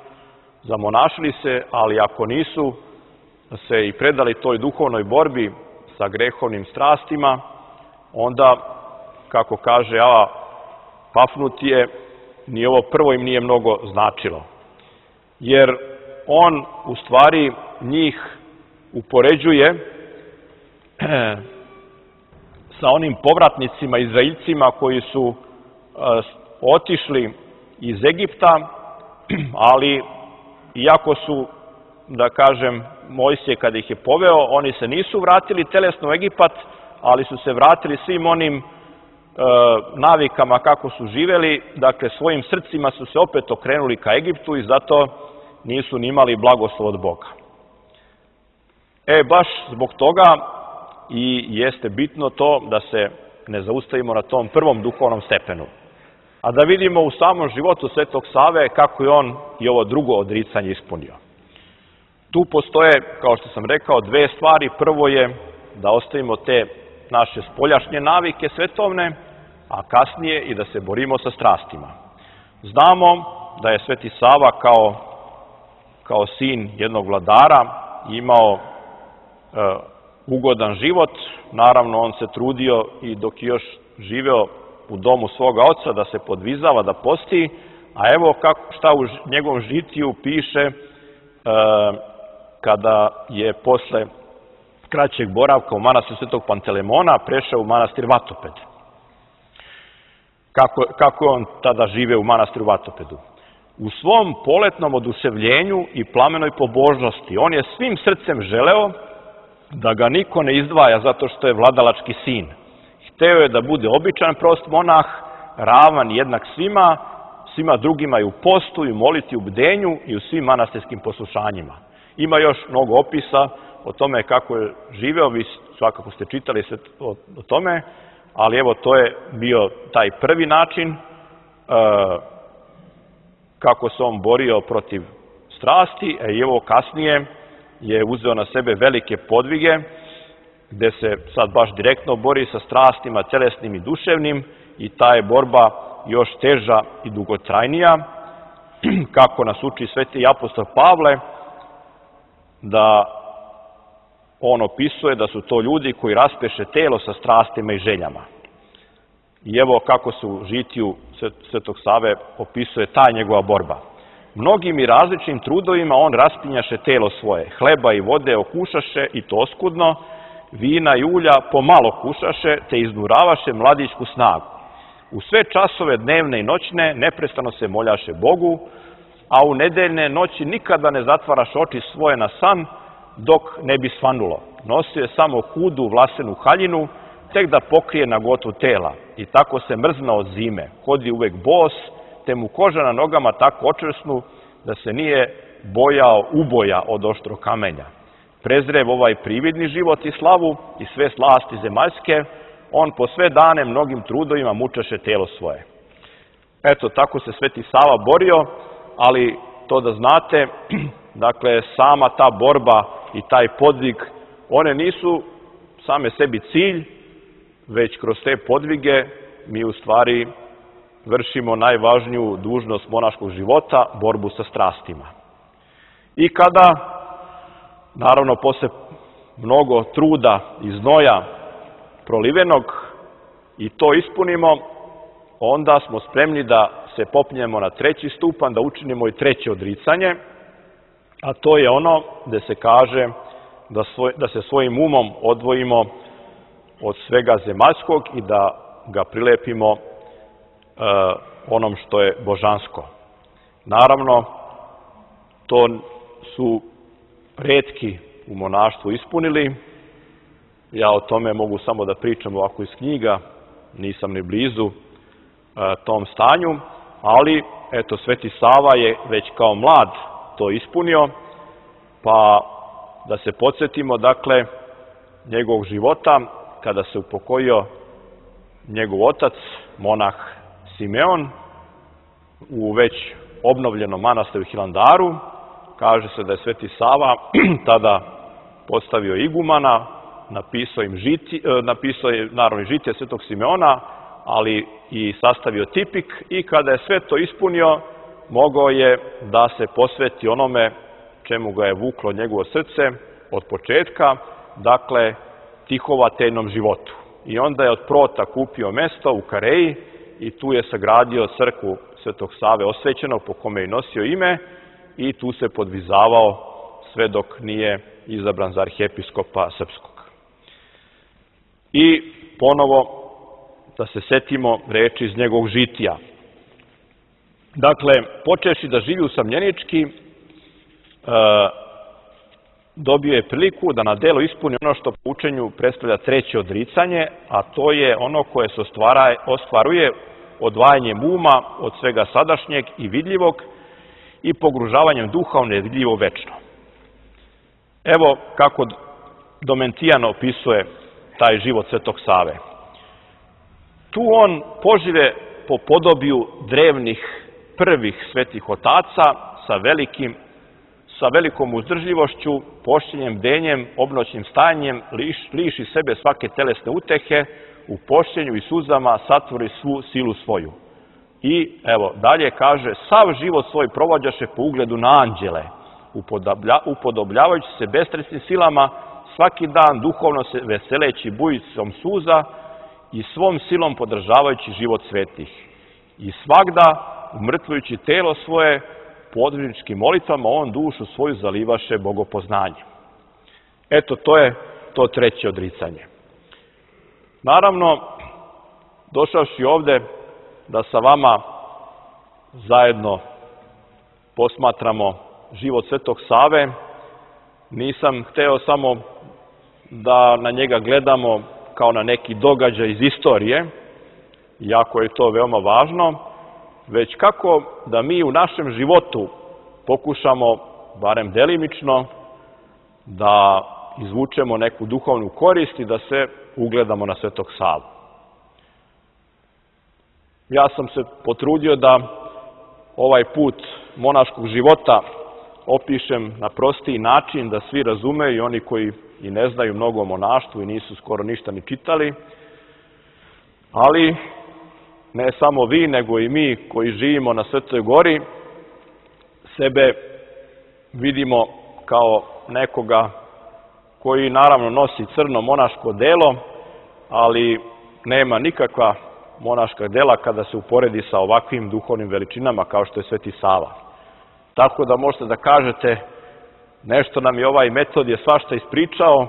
zamonašili se, ali ako nisu se i predali toj duhovnoj borbi sa grehovnim strastima, onda, kako kaže Ava Pafnutije, ni ovo prvo im nije mnogo značilo. Jer on u stvari njih upoređuje sa onim povratnicima, Izraeljcima koji su otišli iz Egipta, ali iako su, da kažem, Mojsije kada ih je poveo, oni se nisu vratili telesno u Egipat, ali su se vratili svim onim e, navikama kako su živeli, dakle svojim srcima su se opet okrenuli ka Egiptu i zato nisu ni imali blagoslov od Boga. E, baš zbog toga i jeste bitno to da se ne zaustavimo na tom prvom duhovnom stepenu. A da vidimo u samom životu Svetog Save kako je on i ovo drugo odricanje ispunio. Tu postoje, kao što sam rekao, dve stvari. Prvo je da ostavimo te naše spoljašnje navike svetovne, a kasnije i da se borimo sa strastima. Znamo da je Sveti Sava kao, kao sin jednog vladara imao e, ugodan život. Naravno, on se trudio i dok je još živeo u domu svoga oca da se podvizava, da posti, a evo kako, šta u njegovom žitiju piše e, kada je posle kraćeg boravka u manastiru Svetog Pantelemona prešao u manastir Vatoped. Kako, kako je on tada živeo u manastiru Vatopedu? U svom poletnom oduševljenju i plamenoj pobožnosti on je svim srcem želeo da ga niko ne izdvaja zato što je vladalački sin. Hteo je da bude običan prost monah, ravan jednak svima, svima drugima i u postu, i u moliti, u bdenju i u svim manastirskim poslušanjima. Ima još mnogo opisa o tome kako je živeo, vi svakako ste čitali sve o, o tome, ali evo to je bio taj prvi način e, kako se on borio protiv strasti, a i evo kasnije je uzeo na sebe velike podvige, gde se sad baš direktno bori sa strastima telesnim i duševnim i ta je borba još teža i dugotrajnija, kako nas uči sveti apostol Pavle, da on opisuje da su to ljudi koji raspeše telo sa strastima i željama. I evo kako se u žitiju Svetog Save opisuje ta njegova borba. Mnogim i različnim trudovima on raspinjaše telo svoje, hleba i vode okušaše i to oskudno, vina i ulja pomalo kušaše, te iznuravaše mladićku snagu. U sve časove dnevne i noćne neprestano se moljaše Bogu, a u nedeljne noći nikada ne zatvaraš oči svoje na san, dok ne bi svanulo. Nosio je samo hudu vlasenu haljinu, tek da pokrije nagotu tela. I tako se mrznao od zime. Hodi uvek bos, te mu koža na nogama tako očvrsnu da se nije bojao uboja od oštro kamenja. Prezrev ovaj prividni život i slavu i sve slasti zemaljske, on po sve dane mnogim trudovima mučaše telo svoje. Eto, tako se Sveti Sava borio, ali to da znate, dakle, sama ta borba i taj podvig, one nisu same sebi cilj, već kroz te podvige mi u stvari vršimo najvažniju dužnost monaškog života, borbu sa strastima. I kada, naravno, posle mnogo truda i znoja prolivenog i to ispunimo, onda smo spremni da se popnemo na treći stupan, da učinimo i treće odricanje, a to je ono gde se kaže da, svoj, da se svojim umom odvojimo od svega zemaljskog i da ga prilepimo e, onom što je božansko. Naravno, to su retki u monaštvu ispunili. Ja o tome mogu samo da pričam ovako iz knjiga, nisam ni blizu e, tom stanju, ali eto, Sveti Sava je već kao mlad to ispunio, pa da se podsjetimo, dakle, njegovog života, kada se upokojio njegov otac, monah Simeon, u već obnovljenom manastiru Hilandaru. Kaže se da je Sveti Sava tada postavio igumana, napisao im žiti, napisao je naravno i žitije Svetog Simeona, ali i sastavio tipik, i kada je sve to ispunio, mogao je da se posveti onome čemu ga je vuklo njegovo srce od početka, dakle, tihovateljnom životu. I onda je od Prota kupio mesto u Kareji i tu je sagradio crkvu Svetog Save osvećeno, po kome je nosio ime, i tu se podvizavao sve dok nije izabran za arhijepiskopa srpskog. I ponovo da se setimo reči iz njegovog žitija. Dakle, počeši da živi usamljenički, e, dobio je priliku da na delo ispuni ono što po učenju predstavlja treće odricanje, a to je ono koje se ostvaruje odvajanjem uma od svega sadašnjeg i vidljivog i pogružavanjem duha u nevidljivo večno. Evo kako Domentijan opisuje taj život Svetog Save. Tu on požive po podobiju drevnih prvih svetih otaca sa velikim sa velikom uzdržljivošću, pošćenjem, bdenjem, obnoćnim stajanjem, liš, liši sebe svake telesne utehe, u pošćenju i suzama satvori svu silu svoju. I evo, dalje kaže, sav život svoj provođaše po ugledu na anđele, upodobljavajući se bestresnim silama, svaki dan duhovno se veseleći bujicom suza i svom silom podržavajući život svetih. I svagda, umrtvujući telo svoje, podvižničkim molitvama on dušu svoju zalivaše bogopoznanjem. Eto, to je to treće odricanje. Naravno, došavši ovde da sa vama zajedno posmatramo život Svetog Save, nisam hteo samo da na njega gledamo kao na neki događaj iz istorije, iako je to veoma važno, već kako da mi u našem životu pokušamo, barem delimično, da izvučemo neku duhovnu korist i da se ugledamo na Svetog Savu. Ja sam se potrudio da ovaj put monaškog života opišem na prostiji način da svi razumeju, i oni koji i ne znaju mnogo o monaštvu i nisu skoro ništa ni čitali, ali ne samo vi, nego i mi koji živimo na Svetoj Gori, sebe vidimo kao nekoga koji naravno nosi crno monaško delo, ali nema nikakva monaška dela kada se uporedi sa ovakvim duhovnim veličinama kao što je Sveti Sava. Tako da možete da kažete, nešto nam je ovaj Metodije svašta ispričao,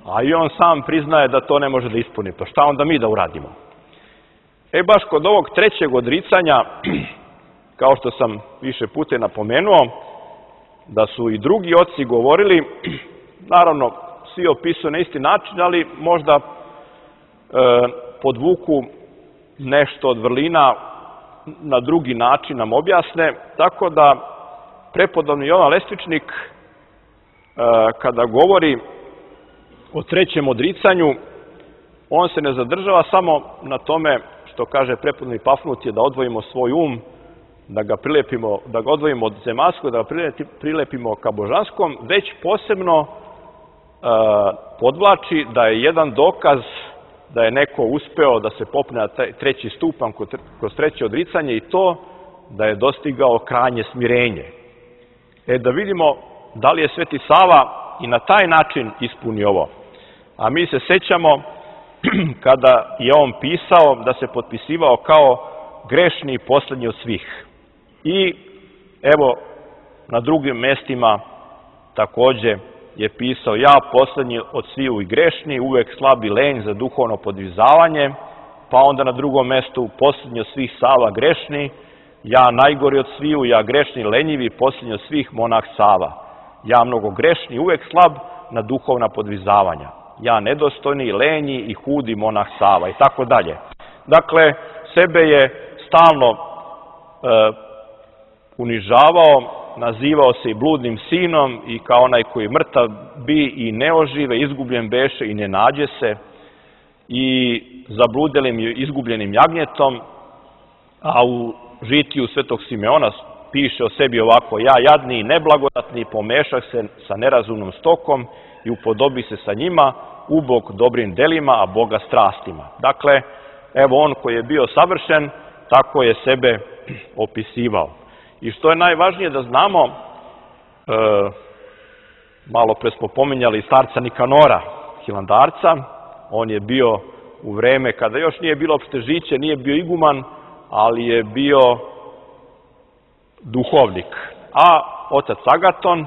a i on sam priznaje da to ne može da ispuni. Pa šta onda mi da uradimo? E baš kod ovog trećeg odricanja, kao što sam više puta napomenuo, da su i drugi oci govorili, naravno svi opisuju na isti način, ali možda e, podvuku nešto od vrlina na drugi način nam objasne, tako da prepodobni Jovan Lestvičnik e, kada govori o trećem odricanju, on se ne zadržava samo na tome što kaže prepodobni Pafnutije da odvojimo svoj um, da ga prilepimo, da ga odvojimo od zemaljskog, da ga prilepimo ka božanskom, već posebno e, podvlači da je jedan dokaz da je neko uspeo da se popne na treći stupan kroz treće odricanje i to da je dostigao krajnje smirenje. E da vidimo da li je Sveti Sava i na taj način ispuni ovo. A mi se sećamo kada je on pisao da se potpisivao kao grešni i poslednji od svih. I evo na drugim mestima takođe je pisao ja poslednji od sviju i grešni, uvek slab i lenj za duhovno podvizavanje, pa onda na drugom mestu poslednji od svih Sava grešni, ja najgori od sviju, ja grešni lenjivi, poslednji od svih monah Sava. Ja mnogo grešni, uvek slab na duhovna podvizavanja. Ja nedostojni, lenji i hudi monah Sava i tako dalje. Dakle, sebe je stalno e, unižavao, nazivao se i bludnim sinom i kao onaj koji mrtav bi i ne ožive, izgubljen beše i ne nađe se i zabludelim i izgubljenim jagnjetom, a u žitiju Svetog Simeona piše o sebi ovako, ja jadni i neblagodatni pomešah se sa nerazumnom stokom i upodobi se sa njima, ubog dobrim delima, a Boga strastima. Dakle, evo on koji je bio savršen, tako je sebe opisivao. I što je najvažnije da znamo, e, malo pre smo pominjali starca Nikanora, hilandarca, on je bio u vreme kada još nije bilo opštežiće, nije bio iguman, ali je bio duhovnik. A otac Agaton,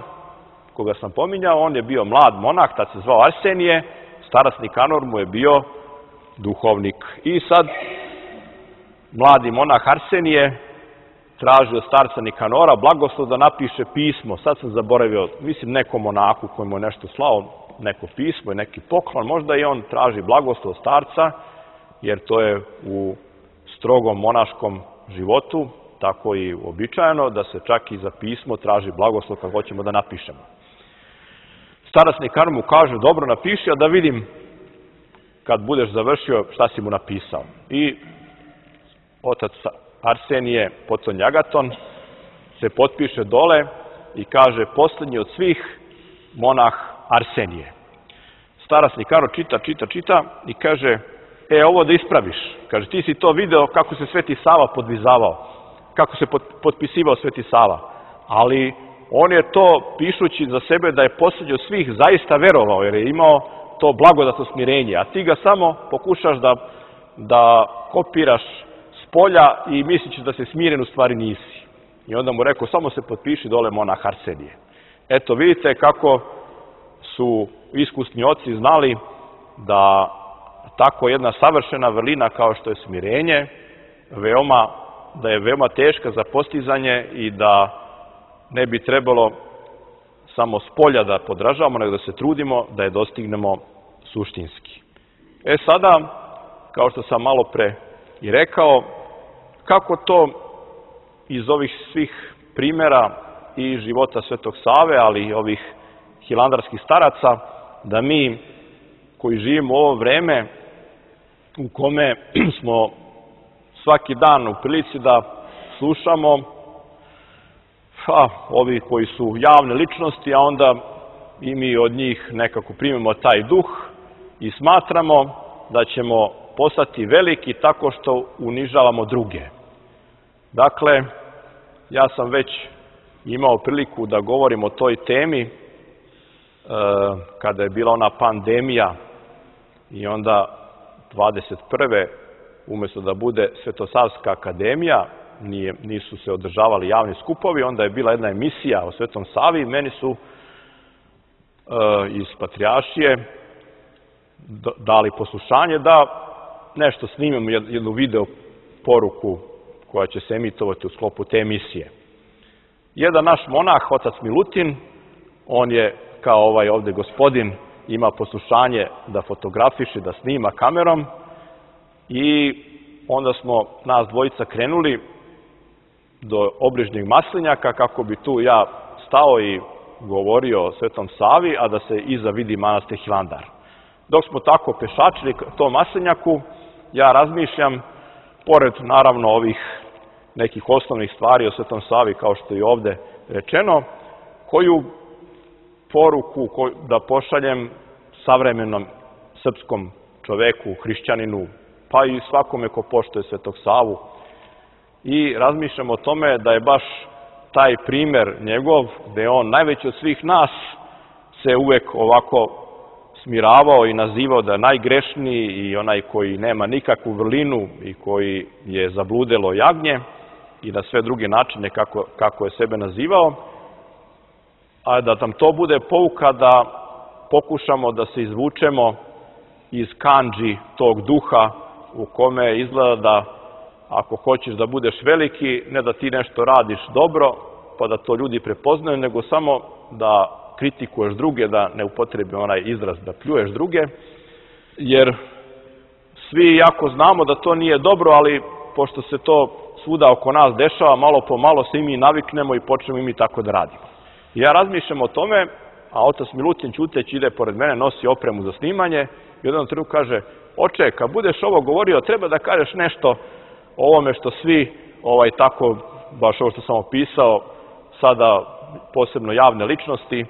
koga sam pominjao, on je bio mlad monah, tad se zvao Arsenije, starac Nikanor mu je bio duhovnik. I sad mladi monah Arsenije traži od starca Nikanora blagoslov da napiše pismo. Sad sam zaboravio, mislim nekom monahu koji mu je nešto slao, neko pismo i neki poklon, možda i on traži blagoslov od starca, jer to je u strogom monaškom životu, tako i uobičajeno, da se čak i za pismo traži blagoslov kad hoćemo da napišemo. Starac Nikanor mu kaže, dobro napiši, a da vidim kad budeš završio šta si mu napisao. I otac Arsenije, potom Agaton, se potpiše dole i kaže poslednji od svih monah Arsenije. Starac Nikanor čita, čita, čita i kaže, e, ovo da ispraviš. Kaže, ti si to video kako se Sveti Sava podvizavao, kako se potpisivao Sveti Sava. Ali on je to, pišući za sebe da je poslednji od svih, zaista verovao, jer je imao to blagodatno smirenje. A ti ga samo pokušaš da, da kopiraš s polja i misliš da se smiren, u stvari nisi. I onda mu rekao, samo se potpiši dole monah Arsenije. Eto, vidite kako su iskusni oci znali da tako jedna savršena vrlina kao što je smirenje, veoma, da je veoma teška za postizanje i da ne bi trebalo samo s polja da podražavamo, nego da se trudimo da je dostignemo suštinski. E sada, kao što sam malo pre i rekao, kako to iz ovih svih primjera i života Svetog Save, ali i ovih hilandarskih staraca, da mi koji živimo u ovo vreme u kome smo svaki dan u prilici da slušamo ha, ovi koji su javne ličnosti, a onda i mi od njih nekako primimo taj duh i smatramo da ćemo postati veliki tako što unižavamo druge. Dakle, ja sam već imao priliku da govorim o toj temi e, kada je bila ona pandemija i onda dvadeset prve umjesto da bude Svetosavska akademija, nije, nisu se održavali javni skupovi, onda je bila jedna emisija o Svetom Savi i meni su e, iz Patrijaršije dali poslušanje da nešto snimimo, jednu video poruku koja će se emitovati u sklopu te emisije. Jedan naš monah, otac Milutin, on je kao ovaj ovde gospodin, ima poslušanje da fotografiše, da snima kamerom i onda smo nas dvojica krenuli do obližnjeg Maslinjaka kako bi tu ja stao i govorio o Svetom Savi, a da se iza vidi manastir Hilandar. Dok smo tako pešačili tom Maslinjaku, ja razmišljam, pored naravno ovih nekih osnovnih stvari o Svetom Savi, kao što je ovde rečeno, koju poruku da pošaljem savremenom srpskom čoveku, hrišćaninu, pa i svakome ko poštuje Svetog Savu. I razmišljam o tome da je baš taj primer njegov, gde je on najveći od svih nas, se uvek ovako smiravao i nazivao da je najgrešniji i onaj koji nema nikakvu vrlinu i koji je zabludelo jagnje i na sve druge načine kako, kako je sebe nazivao, a da nam to bude pouka da pokušamo da se izvučemo iz kandži tog duha u kome izgleda da ako hoćeš da budeš veliki, ne da ti nešto radiš dobro, pa da to ljudi prepoznaju, nego samo da kritikuješ druge, da ne upotrebim onaj izraz da pljuješ druge, jer svi jako znamo da to nije dobro, ali pošto se to svuda oko nas dešava, malo po malo se i mi naviknemo i počnemo i mi tako da radimo. I ja razmišljam o tome, a otac Milutin ćuteći ide pored mene, nosi opremu za snimanje i u jednom trenutku kaže: oče, kad budeš ovo govorio, treba da kažeš nešto o ovome što svi ovaj tako, baš ovo što sam opisao, sada posebno javne ličnosti, e,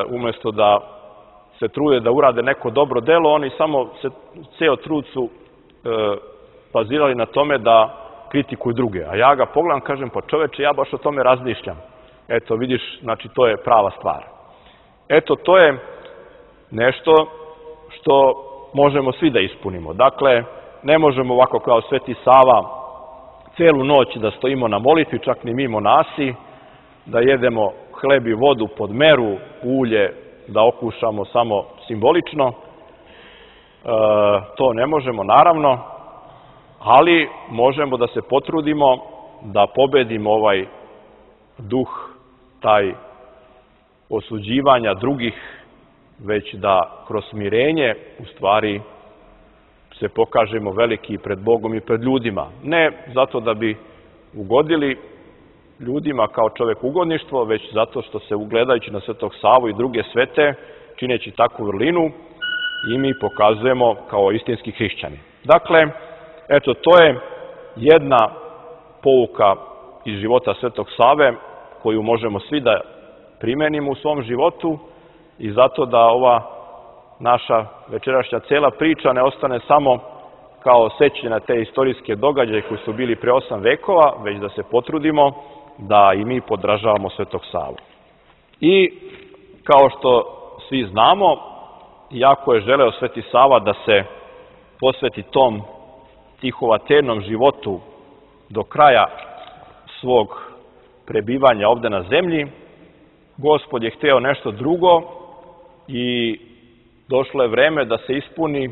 umjesto da se trude da urade neko dobro delo, oni samo se ceo trud su e, bazirali na tome da kritikuju druge. A ja ga pogledam, kažem, pa čoveče, ja baš o tome razmišljam. Eto, vidiš, znači to je prava stvar. Eto, to je nešto što možemo svi da ispunimo. Dakle, ne možemo ovako kao Sveti Sava celu noć da stojimo na molitvi, čak ni mi monasi, da jedemo hleb i vodu pod meru, ulje da okušamo samo simbolično. E, to ne možemo, naravno, ali možemo da se potrudimo da pobedimo ovaj duh, taj osuđivanja drugih, već da kroz smirenje u stvari se pokažemo veliki pred Bogom i pred ljudima. Ne zato da bi ugodili ljudima kao čovek ugodništvo, već zato što se ugledajući na Svetog Savu i druge svete, čineći takvu vrlinu, i mi pokazujemo kao istinski hrišćani. Dakle, eto, to je jedna pouka iz života Svetog Save koju možemo svi da primenimo u svom životu i zato da ova naša večerašnja cela priča ne ostane samo kao sećanje na te istorijske događaje koji su bili pre osam vekova, već da se potrudimo da i mi podražavamo Svetog Savu. I kao što svi znamo, jako je želeo Sveti Sava da se posveti tom tihovaternom životu do kraja svog prebivanja ovde na zemlji. Gospod je hteo nešto drugo i došlo je vreme da se ispuni,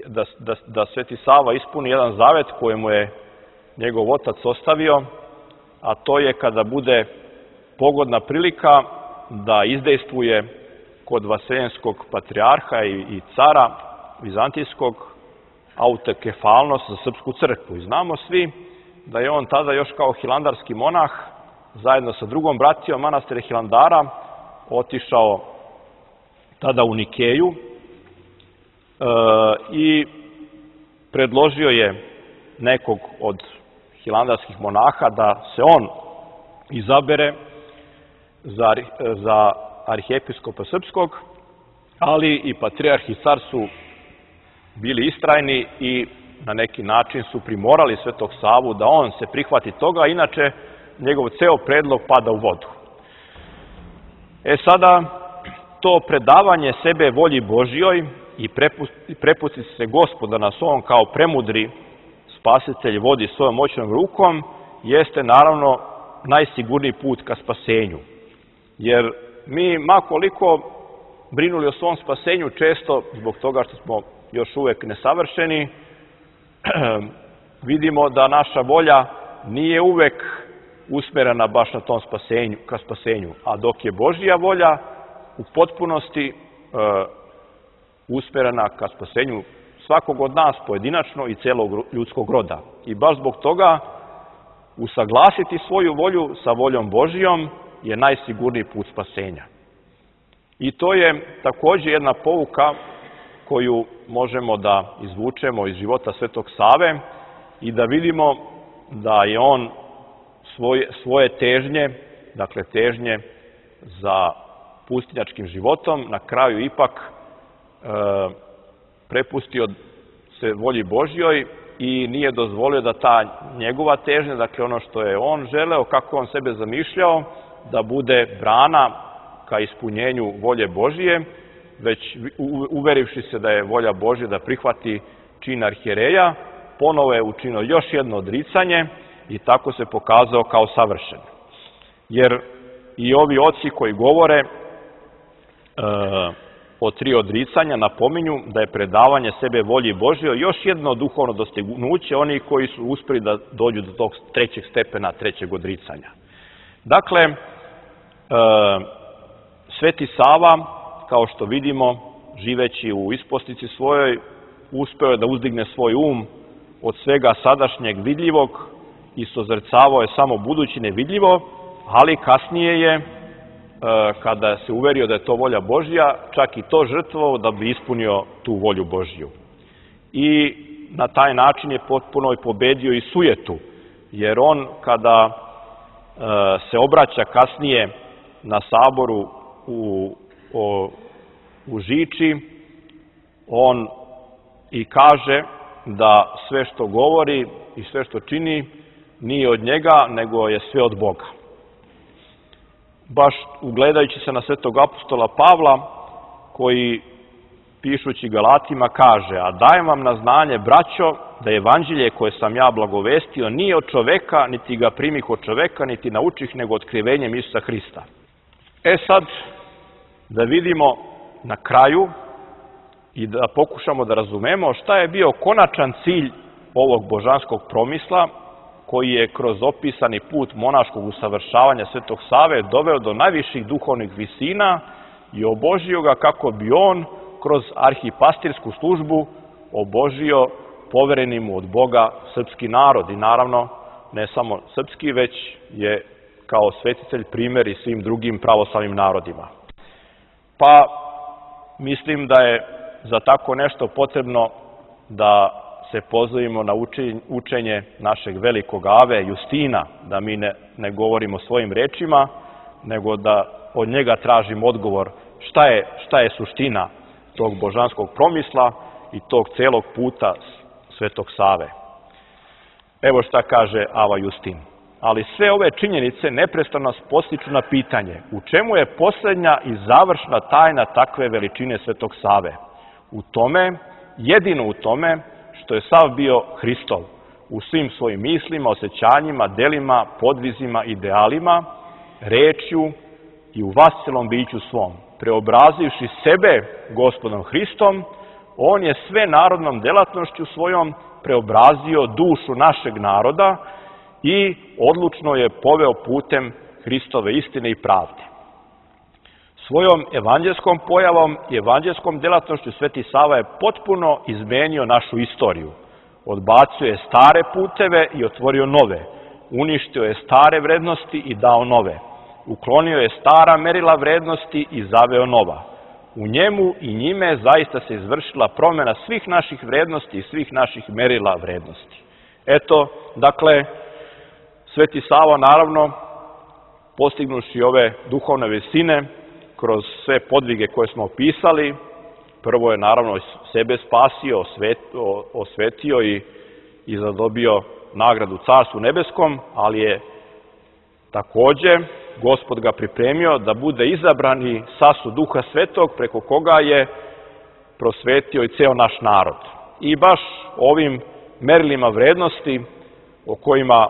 da, da, da Sveti Sava ispuni jedan zavet koji mu je njegov otac ostavio, a to je kada bude pogodna prilika da izdejstvuje kod Vaseljenskog patrijarha i, i cara Vizantijskog autokefalnost za srpsku crkvu. I znamo svi da je on tada još kao hilandarski monah, zajedno sa drugom bratijom manastira Hilandara, otišao tada u Nikeju e, i predložio je nekog od hilandarskih monaha da se on izabere za, za arhijepiskopa srpskog, ali i patrijarh i car su bili istrajni i na neki način su primorali Svetog Savu da on se prihvati toga, inače njegov ceo predlog pada u vodu. E sada, to predavanje sebe volji Božjoj i prepustiti se Gospoda nas on kao premudri spasitelj vodi svojom moćnom rukom, jeste naravno najsigurniji put ka spasenju. Jer mi, makoliko brinuli o svom spasenju, često zbog toga što smo još uvek nesavršeni, vidimo da naša volja nije uvek usmerena baš na tom spasenju, ka spasenju. A dok je Božja volja u potpunosti e, usmerena ka spasenju svakog od nas pojedinačno i celog ljudskog roda. I baš zbog toga usaglasiti svoju volju sa voljom Božjom je najsigurniji put spasenja. I to je također jedna pouka koju možemo da izvučemo iz života Svetog Save i da vidimo da je on svoje, svoje težnje, dakle težnje za pustinjačkim životom, na kraju ipak e, prepustio se volji Božjoj i nije dozvolio da ta njegova težnja, dakle ono što je on želeo, kako on sebe zamišljao, da bude brana ka ispunjenju volje Božije, već uverivši se da je volja Božja da prihvati čin arhijereja, ponovo je učinio još jedno odricanje i tako se pokazao kao savršen. Jer i ovi oci koji govore e, o tri odricanja napominju da je predavanje sebe volji Božjoj još jedno duhovno dostignuće oni koji su uspeli da dođu do tog trećeg stepena, trećeg odricanja. Dakle, e, Sveti Sava, kao što vidimo, živeći u ispostici svojoj, uspeo je da uzdigne svoj um od svega sadašnjeg vidljivog i sozrcavao je samo budući nevidljivo, ali kasnije je, kada se uverio da je to volja Božja, čak i to žrtvovao da bi ispunio tu volju Božju. I na taj način je potpuno i pobedio i sujetu, jer on kada se obraća kasnije na saboru u, o, u Žiči, on i kaže da sve što govori i sve što čini nije od njega, nego je sve od Boga. Baš ugledajući se na svetog apostola Pavla, koji pišući Galatima kaže: a dajem vam na znanje, braćo, da evanđelje koje sam ja blagovestio nije od čoveka, niti ga primih od čoveka, niti naučih, nego otkrivenjem Isusa Hrista. E sad, da vidimo na kraju i da pokušamo da razumemo šta je bio konačan cilj ovog božanskog promisla, koji je kroz opisani put monaškog usavršavanja Svetog Save doveo do najviših duhovnih visina i obožio ga kako bi on kroz arhipastirsku službu obožio povereni mu od Boga srpski narod. I naravno, ne samo srpski, već je kao svetitelj primjer i svim drugim pravoslavnim narodima. Pa mislim da je za tako nešto potrebno da se pozovimo na učenje našeg velikog Ave Justina, da mi ne, ne govorimo svojim rečima, nego da od njega tražimo odgovor šta je, šta je suština tog božanskog promisla i tog celog puta Svetog Save. Evo šta kaže Ava Justin. Ali sve ove činjenice neprestano nas postiču na pitanje u čemu je posljednja i završna tajna takve veličine Svetog Save. U tome, jedino u tome, što je sav bio Hristov, u svim svojim mislima, osjećanjima, delima, podvizima, idealima, rečju i u vascelom biću svom. Preobrazivši sebe Gospodom Hristom, on je sve narodnom delatnošću svojom preobrazio dušu našeg naroda i odlučno je poveo putem Hristove istine i pravde. Svojom evanđelskom pojavom i evanđelskom delatnošću Sveti Sava je potpuno izmenio našu istoriju. Odbacio je stare puteve i otvorio nove. Uništio je stare vrednosti i dao nove. Uklonio je stara merila vrednosti i zaveo nova. U njemu i njime zaista se izvršila promjena svih naših vrednosti i svih naših merila vrednosti. Eto, dakle, Sveti Sava naravno postignuši ove duhovne visine kroz sve podvige koje smo opisali. Prvo je naravno sebe spasio, osvetio i, i zadobio nagradu Carstvu nebeskom, ali je takođe Gospod ga pripremio da bude izabrani sasu Duha Svetog, preko koga je prosvetio i ceo naš narod. I baš ovim merilima vrednosti o kojima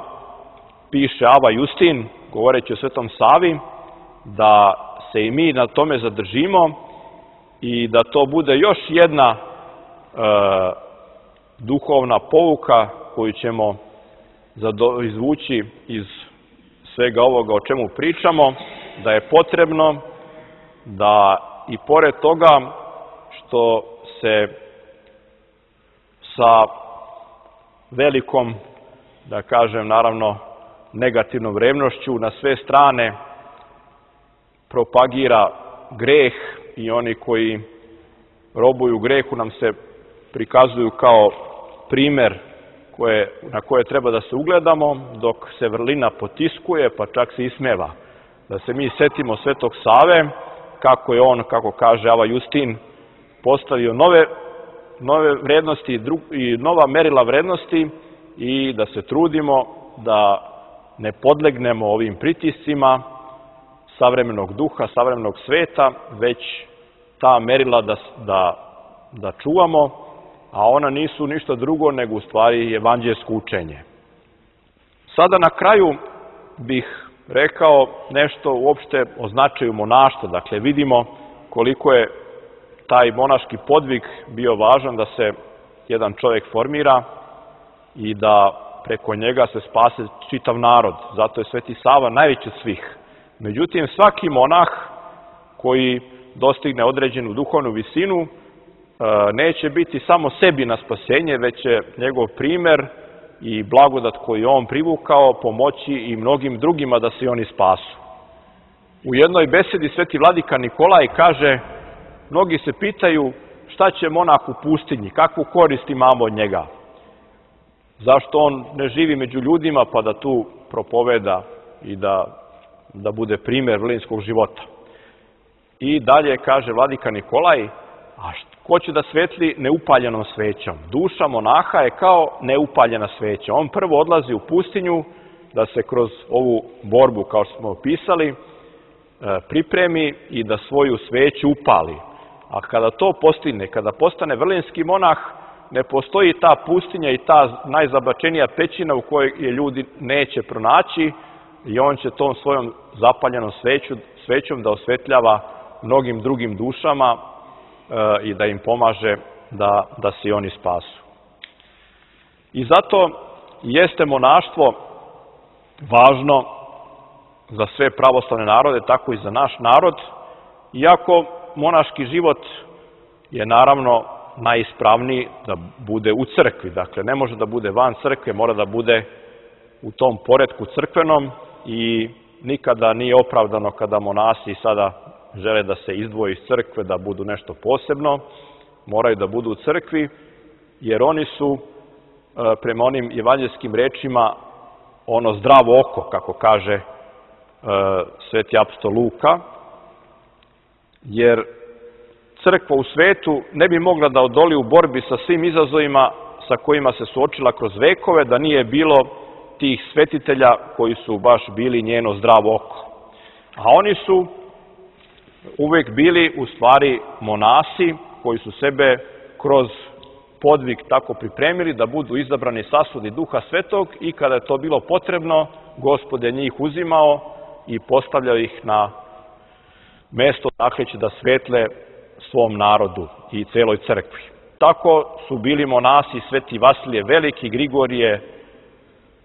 piše Ava Justin, govoreći o Svetom Savi, da se i mi na tome zadržimo i da to bude još jedna e, duhovna pouka koju ćemo izvući iz svega ovoga o čemu pričamo, da je potrebno da i pored toga što se sa velikom, da kažem, naravno, negativnom revnošću na sve strane propagira greh i oni koji robuju grehu nam se prikazuju kao primer koje, na koje treba da se ugledamo, dok se vrlina potiskuje, pa čak se ismeva. Da se mi setimo Svetog Save, kako je on, kako kaže Ava Justin, postavio nove, nove vrednosti dru, i nova merila vrednosti i da se trudimo da ne podlegnemo ovim pritiscima savremenog duha, savremenog sveta, već ta merila da, da, da čuvamo, a ona nisu ništa drugo nego u stvari evanđelsko učenje. Sada na kraju bih rekao nešto uopšte o značaju monaštva. Dakle, vidimo koliko je taj monaški podvig bio važan da se jedan čovjek formira i da preko njega se spase čitav narod. Zato je Sveti Sava najveći od svih. Međutim, svaki monah koji dostigne određenu duhovnu visinu neće biti samo sebi na spasenje, već će njegov primer i blagodat koji on privukao pomoći i mnogim drugima da se oni spasu. U jednoj besedi Sveti Vladika Nikolaj kaže, mnogi se pitaju šta će monah u pustinji, kakvu korist imamo od njega. Zašto on ne živi među ljudima pa da tu propoveda i da, da bude primer vrlinskog života. I dalje kaže Vladika Nikolaj, a ko će da svetli neupaljenom svećom? Duša monaha je kao neupaljena sveća. On prvo odlazi u pustinju da se kroz ovu borbu, kao što smo opisali, pripremi i da svoju sveću upali. A kada to postigne, kada postane vrlinski monah, ne postoji ta pustinja i ta najzabačenija pećina u kojoj je ljudi neće pronaći i on će tom svojom zapaljenom sveću, svećom da osvetljava mnogim drugim dušama e, i da im pomaže da, da se oni spasu. I zato jeste monaštvo važno za sve pravoslavne narode, tako i za naš narod, iako monaški život je naravno najispravniji da bude u crkvi. Dakle, ne može da bude van crkve, mora da bude u tom poretku crkvenom i nikada nije opravdano kada monasi sada žele da se izdvoje iz crkve, da budu nešto posebno, moraju da budu u crkvi, jer oni su, prema onim evanđelskim rečima, ono zdravo oko, kako kaže sveti apostol Luka, jer crkva u svetu ne bi mogla da odoli u borbi sa svim izazovima sa kojima se suočila kroz vekove, da nije bilo tih svetitelja koji su baš bili njeno zdravo oko. A oni su uvek bili u stvari monasi koji su sebe kroz podvig tako pripremili da budu izabrani sasudi Duha Svetog i kada je to bilo potrebno, Gospod je njih uzimao i postavljao ih na mesto dakle će da svetle svom narodu i celoj crkvi. Tako su bili monasi Sveti Vasilije Veliki, Grigorije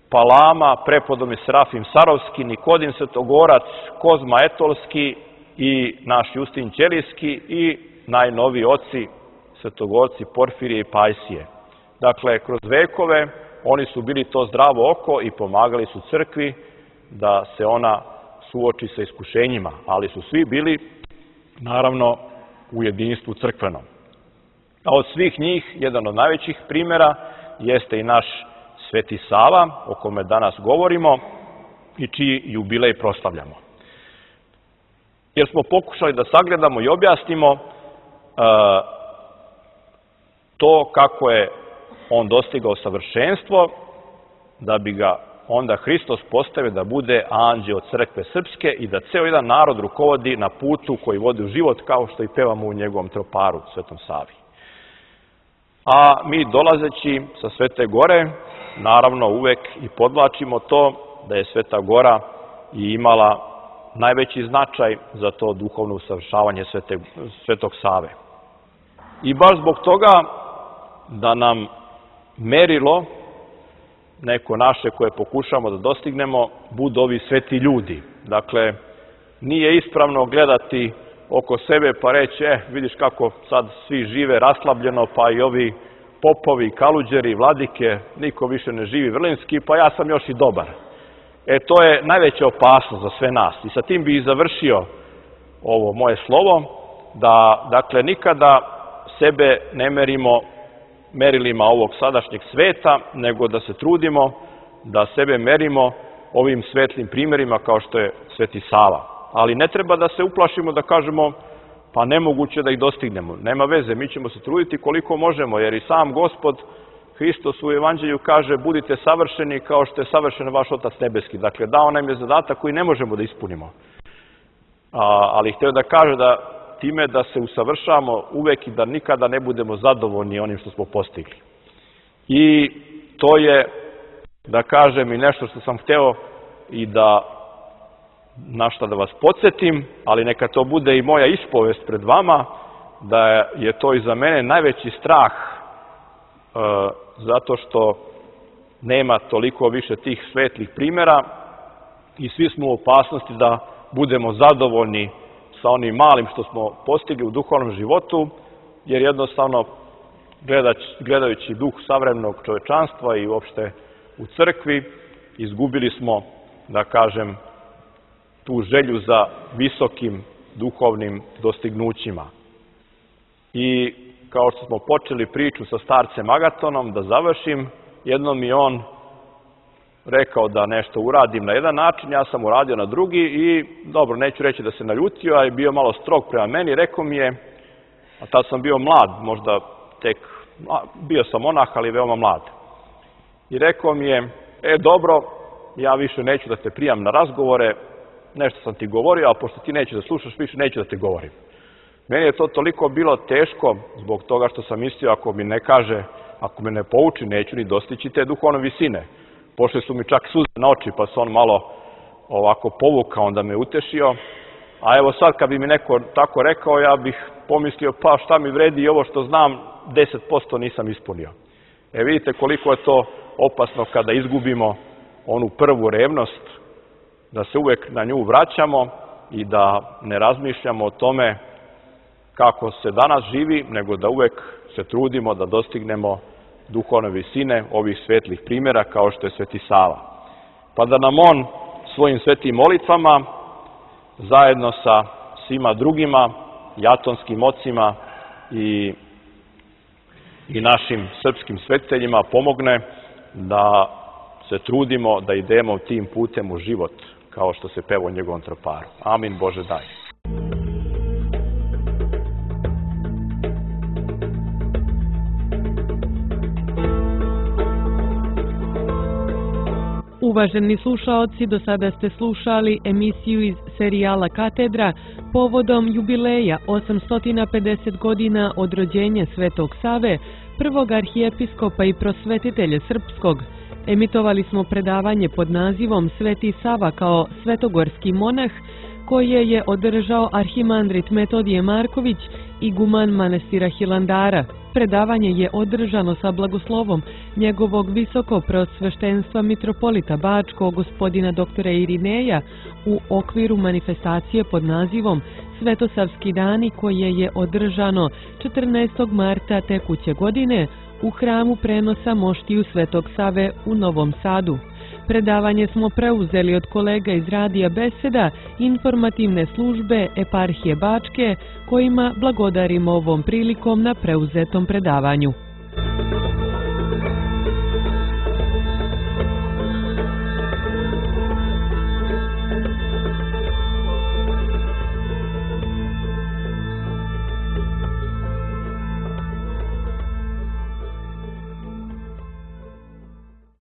Palama, prepodobni Serafim Sarovski, Nikodim Svetogorac, Kozma Etolski i naš Justin Ćelijski i najnoviji oci svetogorci Porfirije i Pajsije. Dakle, kroz vekove oni su bili to zdravo oko i pomagali su crkvi da se ona suoči sa iskušenjima, ali su svi bili, naravno, u jedinstvu crkvenom. A od svih njih, jedan od najvećih primjera jeste i naš Sveti Sava, o kome danas govorimo i čiji jubilej proslavljamo. jer smo pokušali da sagledamo i objasnimo uh, to kako je on dostigao savršenstvo, da bi ga onda Hristos postavio da bude anđeo crkve srpske i da ceo jedan narod rukovodi na putu koji vodi u život, kao što i pevamo u njegovom troparu, Svetom Savi. A mi dolazeći sa Svete Gore, naravno uvek i podvlačimo to da je Sveta Gora i imala najveći značaj za to duhovno usavršavanje Svete, Svetog Save. I baš zbog toga da nam merilo neko naše koje pokušamo da dostignemo budu ovi sveti ljudi. Dakle, nije ispravno gledati oko sebe pa reći, eh, vidiš kako sad svi žive raslabljeno, pa i ovi popovi, kaluđeri, vladike, niko više ne živi vrlinski, pa ja sam još i dobar. E, to je najveća opasnost za sve nas. I sa tim bi i završio ovo moje slovo, da, dakle, nikada sebe ne merimo merilima ovog sadašnjeg sveta, nego da se trudimo da sebe merimo ovim svetlim primjerima kao što je Sveti Sava. Ali ne treba da se uplašimo da kažemo pa nemoguće da ih dostignemo. Nema veze, mi ćemo se truditi koliko možemo, jer i sam Gospod Hristos u Evanđelju kaže budite savršeni kao što je savršen vaš Otac nebeski. Dakle, dao nam je zadatak koji ne možemo da ispunimo. A, ali htio da kaže da time da se usavršavamo uvek i da nikada ne budemo zadovoljni onim što smo postigli. I to je, da kažem, i nešto što sam hteo i da na šta da vas podsjetim, ali neka to bude i moja ispovest pred vama, da je to i za mene najveći strah e, zato što nema toliko više tih svetlih primjera i svi smo u opasnosti da budemo zadovoljni sa onim malim što smo postigli u duhovnom životu, jer jednostavno gledajući duh savremenog čovečanstva i uopšte u crkvi, izgubili smo, da kažem, tu želju za visokim duhovnim dostignućima. I kao što smo počeli priču sa starcem Agatonom, da završim, jednom mi on rekao da nešto uradim na jedan način, ja sam uradio na drugi i, dobro, neću reći da se naljutio, a je bio malo strog prema meni, rekao mi je, a tad sam bio mlad, možda tek, bio sam monah, ali veoma mlad. I rekao mi je, e, dobro, ja više neću da te prijam na razgovore, nešto sam ti govorio, a pošto ti nećeš da slušaš, više neću da te govorim. Meni je to toliko bilo teško zbog toga što sam mislio, ako mi ne kaže, ako me ne pouči, neću ni dostići te duhovne visine. Pošle su mi čak suze na oči, pa se on malo ovako povukao, onda me utešio. A evo sad, kad bi mi neko tako rekao, ja bih pomislio, pa šta mi vredi i ovo što znam, deset posto nisam ispunio. E, vidite koliko je to opasno kada izgubimo onu prvu revnost, da se uvek na nju vraćamo i da ne razmišljamo o tome kako se danas živi, nego da uvek se trudimo da dostignemo duhovne visine ovih svetlih primjera kao što je Sveti Sava. Pa da nam on svojim svetim molitvama zajedno sa svima drugima, jatonskim ocima i, i našim srpskim svetiteljima pomogne da se trudimo da idemo tim putem u život, kao što se peva u njegovom troparu. Amin, Bože daj. Uvaženi slušaoci, do sada ste slušali emisiju iz serijala Katedra povodom jubileja osamsto pedeset godina od rođenja Svetog Save, prvog arhijepiskopa i prosvetitelja srpskog. Emitovali smo predavanje pod nazivom Sveti Sava kao svetogorski monah, koje je održao arhimandrit Metodije Marković, iguman manastira Hilandara. Predavanje je održano sa blagoslovom njegovog visoko preosveštenstva mitropolita Bačkog gospodina doktora Irineja u okviru manifestacije pod nazivom Svetosavski dani, koje je održano četrnaestog marta tekuće godine u hramu prenosa moštiju Svetog Save u Novom Sadu. Predavanje smo preuzeli od kolega iz Radija Beseda, informativne službe Eparhije Bačke, kojima blagodarimo ovom prilikom na preuzetom predavanju.